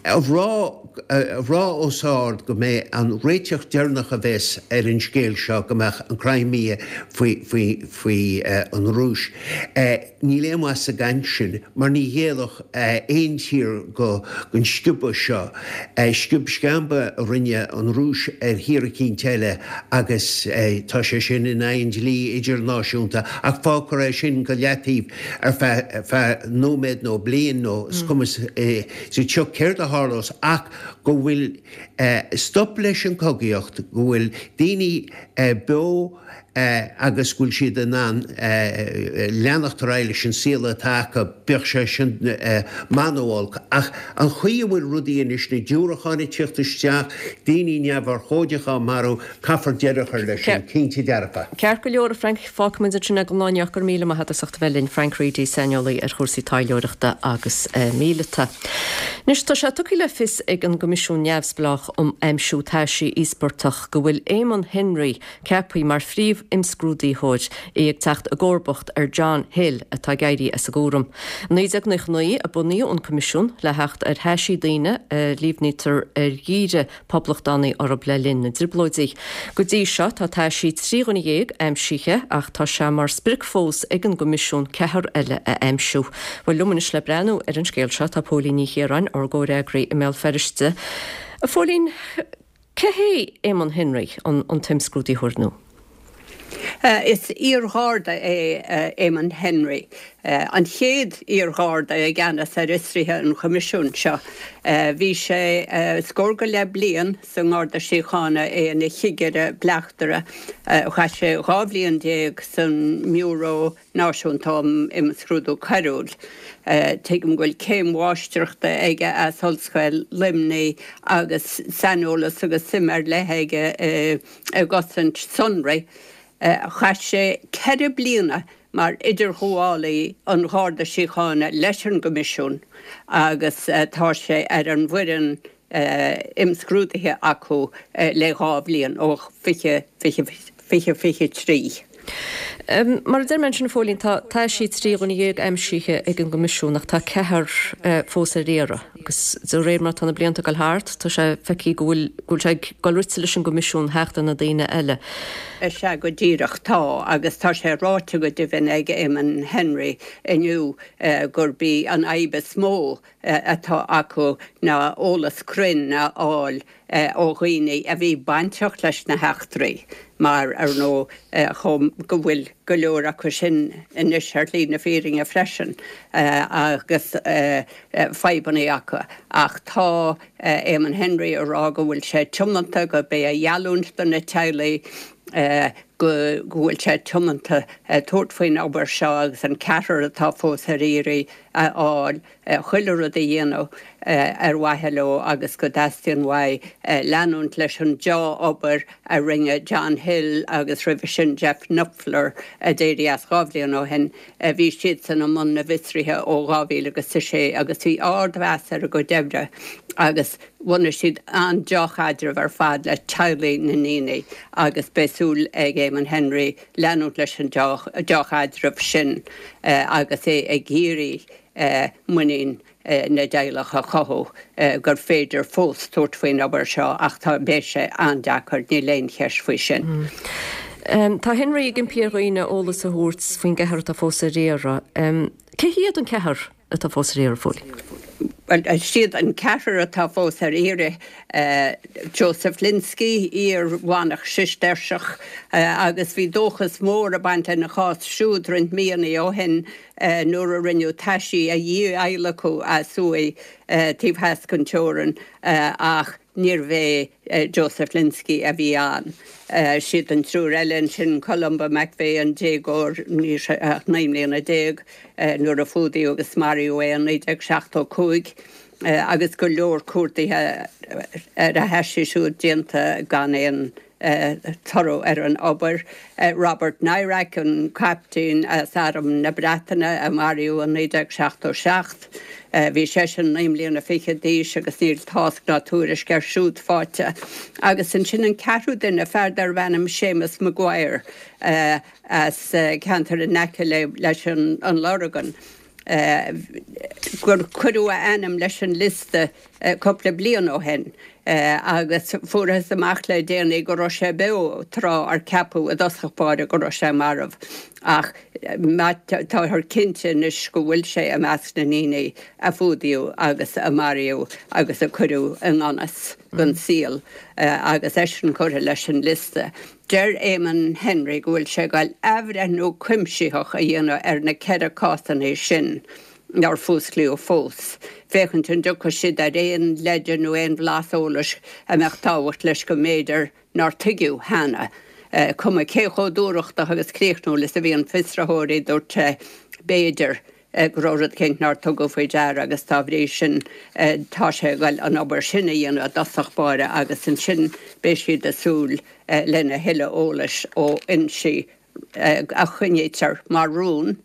Speaker 17: a rá a rá os ard go mbeidh an réiteach deireanach a bheas ar an scéal seo go mbeadh an Crimea faoi faoi faoi an Rúis. Níl aon mhaith sa gcaint sin mar ní ghéillfeadh aon tír go don sciobadh seo. Sciob sceamba a rinne an Rúis ar thír eicínt eile agus tá sé sin in aghaidh an dlí idirnáisiúnta ach fágfar é sin go leataobh ar feadh feadh nóiméad nó bliain nó is cuma sa tsioc céard a tharlós ach go bhfuil stop leis an chogaíocht, go bhfuil daoine beo agus go bhfuil siad in ann leanacht ar aghaidh leis an saol atá acu, bíodh sé sin maith nó olc. Ach an chaoi a bhfuil rudaí anois, na diúracáin ag tíocht isteach, daoine neamhurchóideacha á marú, caithfear deireadh a chur leis sin, cinnte dearfa.
Speaker 1: Ceart go leor, a Frank, fágfaimid ansin é don lá inniu. Go raibh míle maith agat as ucht a bheith linn. Frank Reidy, saineolaí ar chúrsaí taidhleoireachta agus míleata. Anois, tá sé tugtha le fios ag an gCoimisiún Neamhspleách um Aimsiú Taisí Íospartach go bhfuil Éamonn Henry ceaptha mar phríomh-imscrúdaitheoir, é ag teacht i gcomharbacht ar John Hill atá ag éirí as an gcúram. I naoi déag nócha naoi a bunaíodh an Coimisiún le theacht ar thaisí daoine a líomhnaítear ar dhírigh poblachtánaigh orthu le linn na dTrioblóidí. Go dtí seo tá taisí trí dhuine dhéag aimsithe ach tá sé mar sprioc fós ag an gCoimisiún ceathrar eile a aimsiú. Bhuel, liom anois le breathnú ar an scéal seo tá Póilín Ní Chiaráin, ár gcomhfhreagraí i mBéal Feirste. A Phóilín, cé hé Éamonn Henry, an t-imscrúdaitheoir nua?
Speaker 5: Is iar-gharda é Éamonn Henry, an chéad iar-gharda i gceannas ar fhiosruithe an Choimisiúin seo. Bhí sé scór go leith bliain sa nGarda Síochána, é ina chigire bleachtaire. Chaith sé dhá bhliain déag san mBiúró Náisiúnta um Imscrúdú Coiriúil. Tuigim go bhfuil céim mháistreachta aige as Ollscoil Luimnigh agus saineolas agus suim ar leith aige i gcosaint sonraí. Chaith sé ceithre bliana mar idirghabhálaí an Gharda Síochána leis an gCoimisiún agus tá sé ar an bhfoireann imscrúdaithe acu le dhá bhliain, ó fiche fiche fiche trí.
Speaker 1: Mar a deir mé ansin, a Phóilín, tá taisí trí dhuine dhéag aimsithe ag an gCoimisiún ach tá ceathrar fós ar iarraidh agus de réir mar atá na blianta ag dul thart, tá sé feicthe go bhfuil go bhfuil sé ag dul rite leis an gCoimisiún theacht ar na daoine eile.
Speaker 5: Is ea go díreach, tá, agus tá sé ráite go deimhin ag Éamonn Henry inniu gurb í an fhadhb is mó atá acu ná eolas cruinn a fháil ó dhaoine a bhí bainteach leis na heachtraí mar, ar ndóigh, chomh go bhfuil go leor acu sin anois ar shlí na fírinne freisin agus fadhbanna acu. Ach tá Éamonn Henry ag rá go bhfuil sé tiomanta, gurb é a gheallúint do na teaghlaigh go bhfuil sé tiomanta tabhairt faoin obair seo agus an ceathrar atá fós ar iarraidh a fháil. chuile rud a dhéanamh ar mhaithe leo agus go dteastaíonn uaidh leanúint leis an deá-obair a rinne John Hill agus roimhe sin Jeff Knupfler a d'éirigh as dhá bhliain ó shin. Bhí siadsan i mbun na bhfiosruithe ó dhá mhíle agus a sé agus bhí ardmheas ar a gcuid oibre agus bhunaigh siad an-deá-chaidreamh ar fad le teaghlaigh na ndaoine agus beidh súil ag Éamonn Henry leanúint leis an deá-chaidreamh sin agus é ag iarraidh muinín na dteaghlach a chothú gur féidir fós tabhairt faoin obair seo ach tá beidh sé an-deacair, níl aon cheist faoi sin.
Speaker 1: Tá Henry ag impí ar dhaoine eolas a thabhairt faoin gceathrar atá fós ar iarraidh. Cé hiad an ceathrar atá fós ar iarraidh, a Phóilín?
Speaker 5: Bhuel, siad an ceathrar atá fós ar iarraidh, Joseph Lynskey, iar-mhanach Sistéirseach, agus bhí dóchas mór ag baint lena chás siúd roinnt míonna ó shin nuair a rinneadh taisí a dhí-adhlacadh as uaigh taobh theas den teorainn ach níorbh é Joseph Lynskey a bhí ann. Siad an triúr eile ansin, Columba McVeigh, an déagóir, ní raibh sé ach naoi mbliana déag nuair a fuadaíodh agus maraíodh é in naoi déag seachtó cúig, agus go leor cuardaithe ar a thaisí siúd déanta gan aon toradh ar an obair. Robert Nairac, an captaen as Arm na Breataine a maraíodh in naoi déag seachtó seacht, bhí seisean naoi mbliana fichead d'aois agus níl tásc ná tuairisc air siúd faighte. Agus ansin an ceathrú duine, fear darbh ainm Séamus Maguire as ceantar in aice leis an Lorgain, gur cuireadh a ainm leis an liosta cúpla bliain ó shin agus fuarthas amach le déanaí go raibh sé beo tráth ar ceapadh i dtosach báire go raibh sé marbh ach táthar cinnte anois go bhfuil sé i measc na ndaoine a fuadaíodh agus a maraíodh agus a cuireadh i ngan fhios don saol agus eisean curtha leis an liosta. Deir Eamon Henry go bhfuil sé ag goil athbhreithniú cuimsitheach a dhéanamh ar na ceithre cásanna sin nár fuasclaíodh fós, féachaint an dtiocfaidh siad ar aon leide nó aon bhlas eolais a mbeadh tábhacht leis go mb'fhéidir nár tuigeadh cheana. Cuma cé chomh dúthrachtach agus críochnúil is a bhíonn fiosraitheoirí, dúirt sé, b'fhéidir go raibh rud eicínt nár tugadh faoi deara agus dá bhrí sin tá sé ag goil an obair sin a dhéanamh i dtosach báire agus ansin beidh siad ag súil lena thuilleadh eolais ó fhoinsí a choinnítear mar rún,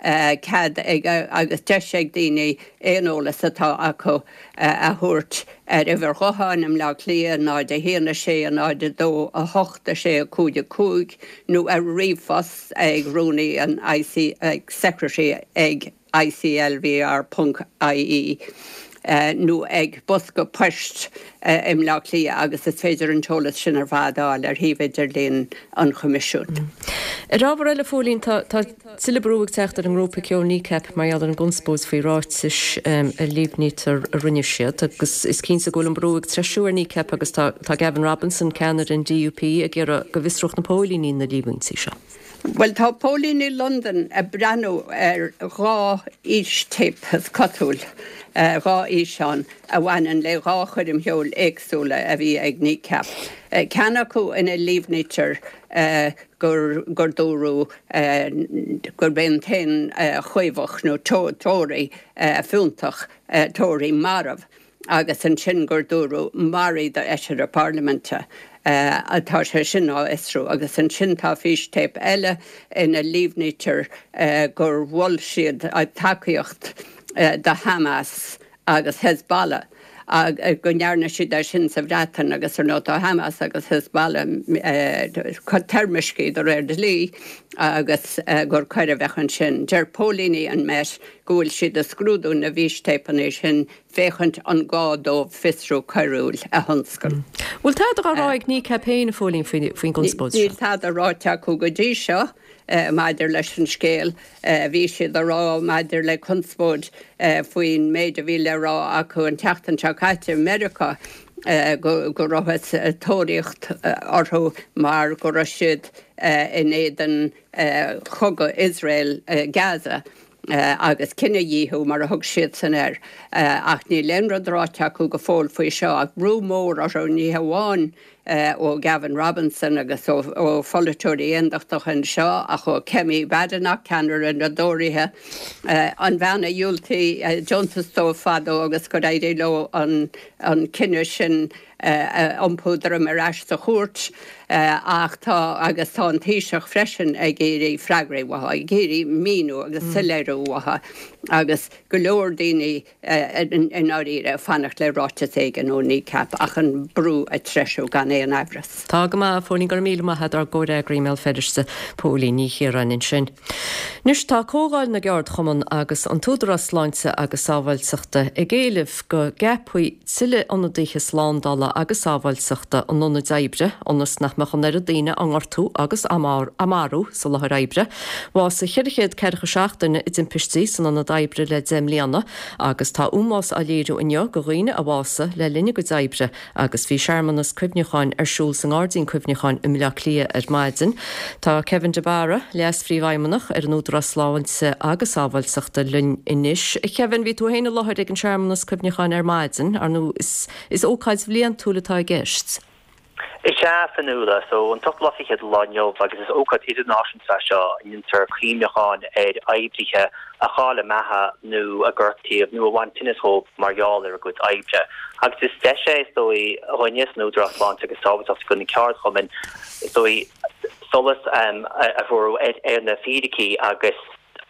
Speaker 5: cead ag agus deis ag daoine aon eolas atá acu a thabhairt ar uimhir ghutháin i mBleá Cliath, náid a haon a sé a náid a dó a hocht a sé a cúig a cúig, nó ar ríomhphost ag rúnaí an I C ag secretary ag I C L V R ponc I E nó ag bosca poist i mBleá Cliath agus is féidir an t-eolas sin ar fad a fháil ar shuíomh idirlín an Choimisiúin.
Speaker 1: Ar ábhar eile, a Phóilín, tá tuilleadh brú ag teacht ar an ngrúpa ceoil Kneecap mar gheall ar an gconspóid faoi ráitis a líomhnaítear a rinne siad agus is cinnte go bhfuil an brú ag treisiú ar Kneecap agus tá Gavin Robinson, ceannaire an D U P, ag iarraidh go bhfiosródh na póilíní na líomhaintí seo.
Speaker 5: Bhuel, tá póilíní Londan ag breathnú ar dhá fhístéip, is cosúil, dhá fhíseán a bhaineann le dhá choirm cheoil éagsúla a bhí ag Kneecap. Ceann acu ina líomhnaítear gur gur dúradh gurb é an t-aon chaomhach nó tóraí fiúntach tóraí marbh. Agus ansin gur dúradh maraigh do fheisire parlaiminte. Tá sé sin á fhiosrú. Agus ansin tá fístéip eile ina líomhnaítear gur mhol siad tacaíocht do Hamas agus Hezbollah, go ndearna siad é sin sa Bhreatain agus ar ndóigh tá Hamas agus Hezbollah toirmiscthe de réir dlí agus gur coir a bheadh ansin. Deir póilíní an Met go bhfuil siad ag scrúdú na bhfístéipeanna sin féachaint an gá dóibh fiosrú coiriúil a thionscal.
Speaker 1: Bhfuil tada á rá ag Kneecap féin, a Phóilín, faoin gconspóid seo?
Speaker 5: Níl tada ráite acu go dtí seo maidir leis an scéal. Bhí siad a rá maidir le conspóid faoin méid a bhí le rá acu an tseachtain seo caite i Meiriceá go rabhthas ag tóraíocht orthu mar go raibh siad in éadan chogadh Iosrael Gaza agus cinedhíothú mar a thug siadsan air. Ach níl aon rud ráite acu go fóill faoi seo ach brú mór orthu ní hamháin ó Gavin Robinson agus ó pholaiteoirí aondachtacha anseo ach ó Kemi Badenoch, ceannaire na dTóraithe, an bhean a dhiúltaigh deontas dóibh fadó agus gur éirigh leo an cinneadh sin a iompú droim ar ais sa chúirt.
Speaker 18: Ach tá, agus tá an Taoiseach freisin ag iarraidh freagraí uathu, ag iarraidh míniú agus soiléiriú uathu agus go leor daoine i ndáiríre ag fanacht le ráiteas éigin ó Kneecap ach an brú ag treisiú gan aon amhras.
Speaker 1: Tá go maith, a Phóilín, go raibh míle maith agat ár gcomhfhreagraí i mBéal Feirste, Póilín Ní Chiaráin ansin. Anois tá Comhdháil na gCeardchumann agus an tÚdarás Sláinte agus Sábháilteachta ag éileamh go gceapfaí tuilleadh ionadaithe slándála agus sábháilteachta in ionaid oibre ionas nach mbeadh an oiread daoine á ngortú agus á marú sa láthair oibre. Bhásaigh ceithre chéad ceathracha seacht duine i dtimpistí san ionad oibre le deich mbliana agus tá ómós á léiriú inniu do dhaoine a bhásaigh le linn a gcuid oibre agus bhí searmanas cuimhneacháin ar siúl sa nGairdín Cuimhneacháin i mBleá Cliath ar maidin. Tá Kevin de Barra, Leas-Phríomhfheidhmeannach ar an Údarás Sláinte agus Sábháilteachta linn anois. A Kevin, bhí tú féin i láthair ag an searmanas cuimhneacháin ar maidin, ar ndóigh is is ócáid bhliantúil atá i gceist.
Speaker 19: Is ea, Fionnuala, so an t-ochtú lá fichead lá inniu agus is ócáid idirnáisiúnta é seo a ndéantar cuimhneachán ar oibrithe a chaill a mbeatha nó a gortaíodh nó a bhain tinneas dhóibh mar gheall ar a gcuid oibre. Agus is deis é, is dóigh, dhúinne san Údarás Sláinte agus Sábháilteachta do na ceardchumainn, is dóigh, solas a bhrú ar na fíricí agus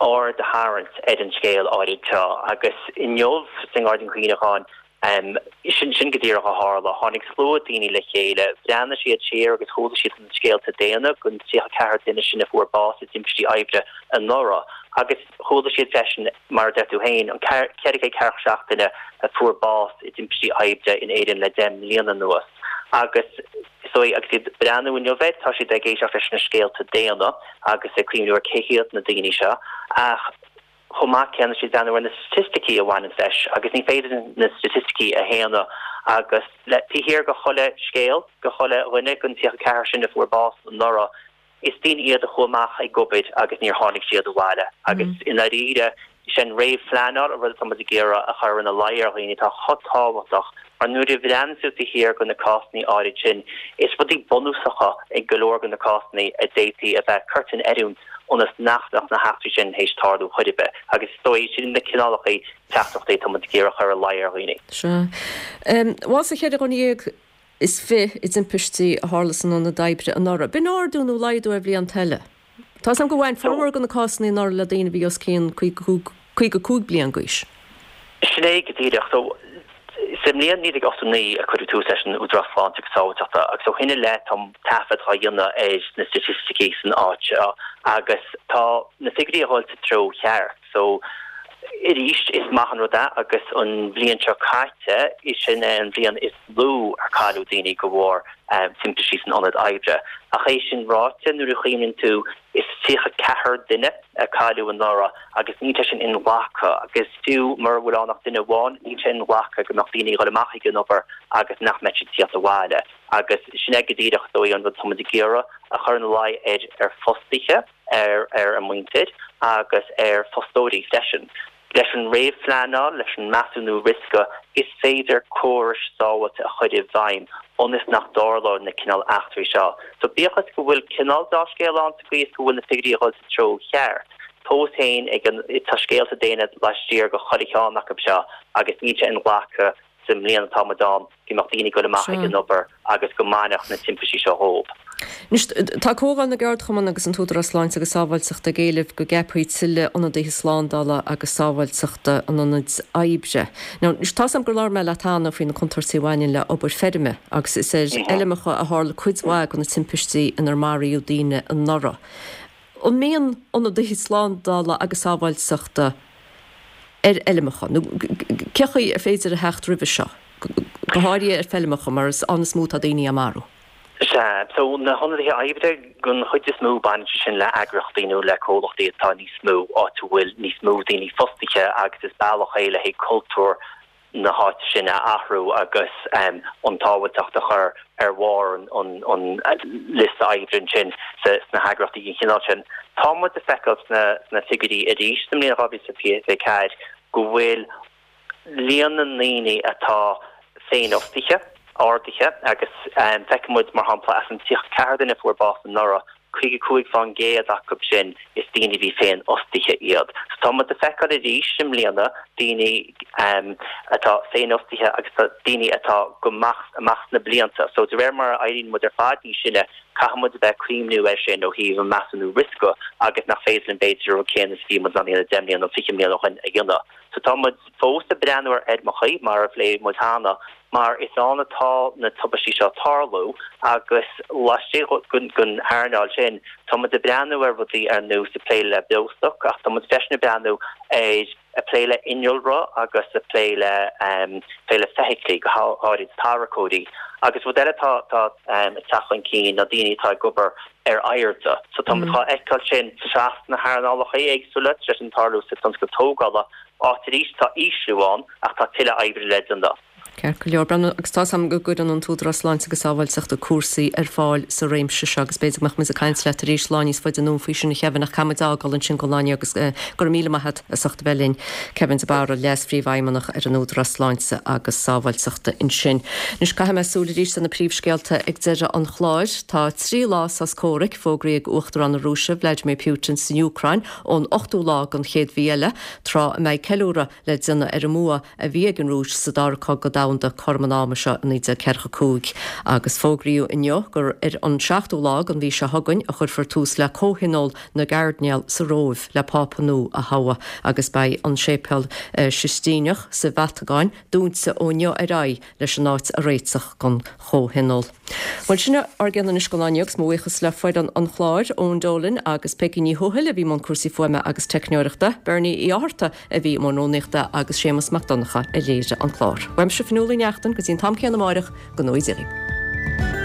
Speaker 19: aird a tharraingt ar an scéal áirid seo. Agus inniu sa nGairdín Cuimhneacháin, sin sin go díreach a tharla. Tháinig slua daoine le chéile, bhreathnaigh siad siar agus chuala siad na scéalta daonna den tríocha ceathair duine sin a fuair bás i dtimpistí oibre anuraidh. Agus chuala siad freisin, mar a deir tú féin, an ceithre chéad ceathracha seacht duine a fuair bás i dtimpistí oibre in Éirinn le deich mbliana anuas. Agus so agus iad ag breathnú inniu air, tá siad ag éisteacht leis na scéalta daonna agus ag cuimhniú ar cé hiad na daoine seo. Ach chomh maith céanna, siad ag breathnú ar na staitisticí a bhaineann leis agus ní féidir na staitisticí a shéanadh agus le taobh thiar de chuile scéal, de chuile dhuine den tríocha ceathair sin a fuair bás anuraidh, is daoine iad a chuaigh amach ag obair agus níor tháinig siad abhaile. Agus i ndáiríre, sin réamhphleanáil, an rud atá muid ag iarraidh a chur ina luí ar dhaoine, atá chomh tábhachtach, mar nuair a bhreathnaíonn tú taobh thiar de na cásanna áirid sin, is rudaí bunúsacha i go leor de na cásanna a d'fhéadfaí a bheith curtha in oiriúint ionas nach mbeadh na heachtraí sin théis tarlú chor ar bith. Agus is dóigh, sin na cineálacha teachtaireachtaí atá muid ag iarraidh a chur ina luí ar dhaoine.
Speaker 1: Sea. Bhásaigh ceithre dhuine dhéag is fiche i dtimpistí a tharla san ionad oibre anuraidh. B'in ardú nó laghdú ar bhlianta eile? Tá 's agam gur bhain formhór de na cásanna anuraidh le daoine a bhí os cionn caoga cúig bliain d'aois.
Speaker 19: Sin é go díreach. So, sa mbliain naoi déag ochtó naoi a cuireadh tús leis an Údarás Sláinte agus Sábháilteachta agus ó shin i leith tá taifead á dhéanamh ar na staitisticí san áit seo agus tá na figiúirí ag dul sa treo cheart. So, arís, is maith an rud é agus an bhliain seo caite, is sin é an bhliain is lú ar cailleadh daoine de bharr timpistí san ionad oibre. Ach é sin ráite, nuair a chuimhníonn tú, is tríocha ceathair duine a cailleadh anuraidh agus níl sé sin inghlactha agus fiú mura bhfuil ann ach duine amháin, níl sé inghlactha go mbeadh daoine ag dul amach ag an obair agus nach mbeadh siad ag tíocht abhaile. Agus sin é go díreach, is dóigh, an rud atá muid ag iarraidh a chur ina luí ar ar fostaithe. ar ar a muintir agus ar fostóirí freisin. Leis an réamhphleanáil, leis an measúnú riosca, is féidir córais sábháilte a chur i bhfeidhm ionas nach dtarlóidh na cineál eachtraí seo. So bíodh is go bhfuil cineál dea-scéal ann sa gcaoi is go bhfuil na figiúirí ag dul sa treo cheart, fós féin ag an tá scéalta daonna laistiar de chuile cheann acu seo agus níl sé inghlactha sa mbliain atá muid ann go mbeadh daoine ag dul amach ag an obair agus go mbainfeadh na timpistí seo dhóibh.
Speaker 1: Anois, tá Comhdháil na gCeardchumann agus an tÚdarás Sláinte agus Sábháilteachta ag éileamh go gceapfaí tuilleadh ionadaithe slándála agus sábháilteachta in ionaid oibre. Now, anois, tá's agam gur labhair mé leat cheana faoi na contúirtí a bhaineann le obair feirme agus is ar fheilmeacha a tharla cuid mhaith de na timpistí inar maraíodh daoine anuraidh. An mbíonn ionadaithe slándála agus sábháilteachta ar fheilmeacha, nó cé chaoi ar féidir a theacht roimhe seo, go háirithe ar feilmeacha, mar is ann is mó atá daoine á marú?
Speaker 19: Sea, so na hionadaithe oibre, den chuid is mó baineann sé sin le eagraíochtaí nó le comhlachtaí atá níos mó, áit a bhfuil níos mó daoine fostaithe agus is bealach é le haghaidh cultúr na háite sin a athrú agus an tsábháilteacht a chur ar bharr an liosta oibre ansin sna heagraíochtaí den chineál sin. Tá muid ag feiceáil sna figiúirí arís sa mbliain dhá mhíle is fiche a ceathair go bhfuil líon na ndaoine atá féinfhostaithe ardaithe agus feiceann muid, mar shampla, as an tríocha ceathair duine a fuair bás anuraidh, caoga cúig fán gcéad acu sin is daoine a bhí féinfhostaithe iad. So tá muid ag feiceáil arís i mbliana daoine atá féinfhostaithe agus daoine atá go maith amach sna blianta. So de réir mar a éiríonn muid ar fad níos sine, Caithfidh muid a bheith ag cuimhniú air sin ó thaobh an measúnú riosca agus nach féidir linn b'fhéidir an rud céanna is a bhí muid in ann a dhéanamh deich mbliana nó fiche mbliana ó shin a dhéanamh. So tá muid fós ag breathnú ar fheirmeacha, mar a phléigh muid cheana, mar is ann atá na tubaistí seo ag tarlú agus laistigh den earnáil sin tá muid ag breathnú ar rudaí ar nós ag plé le beostoc ach tá muid freisin ag breathnú ar ag plé le innealra agus ag plé le plé le feithiclí, go háirid tarracóirí. Agus rud eile atá atá ag teacht chun cinn ná daoine atá ag obair ar airde. So tá muid dhá fheiceáil sin trasna na hearnálacha éagsúla, tá sé sin ag tarlú sa tionscal tógála, áit arís tá ísliú ann ach tá tuilleadh oibre le déanamh.
Speaker 1: Ceart go leor, Breandán, agus tá 's agam go gcuireann an tÚdarás Sláinte agus Sábháilteachta cúrsaí ar fáil sa réimse seo agus b'fhéidir go mbeadh muid ag caint leat arís lá níos faide anonn faoi sin a Kevin ach caithfidh muid fhágáil ansin don lá inniu agus go raibh míle maith agat as ucht a bheith linn. Kevin de Barra, Leas-Phríomhfheidhmeannach ar an Údarás Sláinte agus Sábháilteachta ansin. Anois caithfidh mé súil arís ar na príomhscéalta ag deireadh an chláir. Tá trí lá sos comhraic fógraithe ag Uachtarán na Rúise, Vladimir Putin, san Úcráin ón ochtú lá den chéad mhí eile, tráth a mbeidh ceiliúradh le déanamh ar an mbua a bhí ag an Rúis sa Dara Cogadh Domhanda cothrom an ama seo i naoi déag ceathracha cúig agus fógraíodh inniu gur ar an seachtú lá den mhí seo chugainn a chuirfear tús le Comhthionól na gCairdinéal sa Róimh le Pápa nua a thoghadh agus beidh an Séipéal Sistíneach sa Vatacáin dúnta ó inniu ar aghaidh leis an áit a réiteach don Chomhthionól. Bhuel, sin ár gcion anois don lá inniu agus mo bhuíochas le foireann an chláir, Eoin Dolan agus Peggy Ní Thuathail a bhí i mbun cúrsaí fuaime agus teicneoireachta, Bernie Uí Fhátharta a bhí i mbun rúnaíochta agus Séamus Mac Donncha a léirigh an clár. Uaimse Fionnuala Ní Neachtain go dtí an t-am céanna amáireach, go ngnóthaí Dia dhaoibh.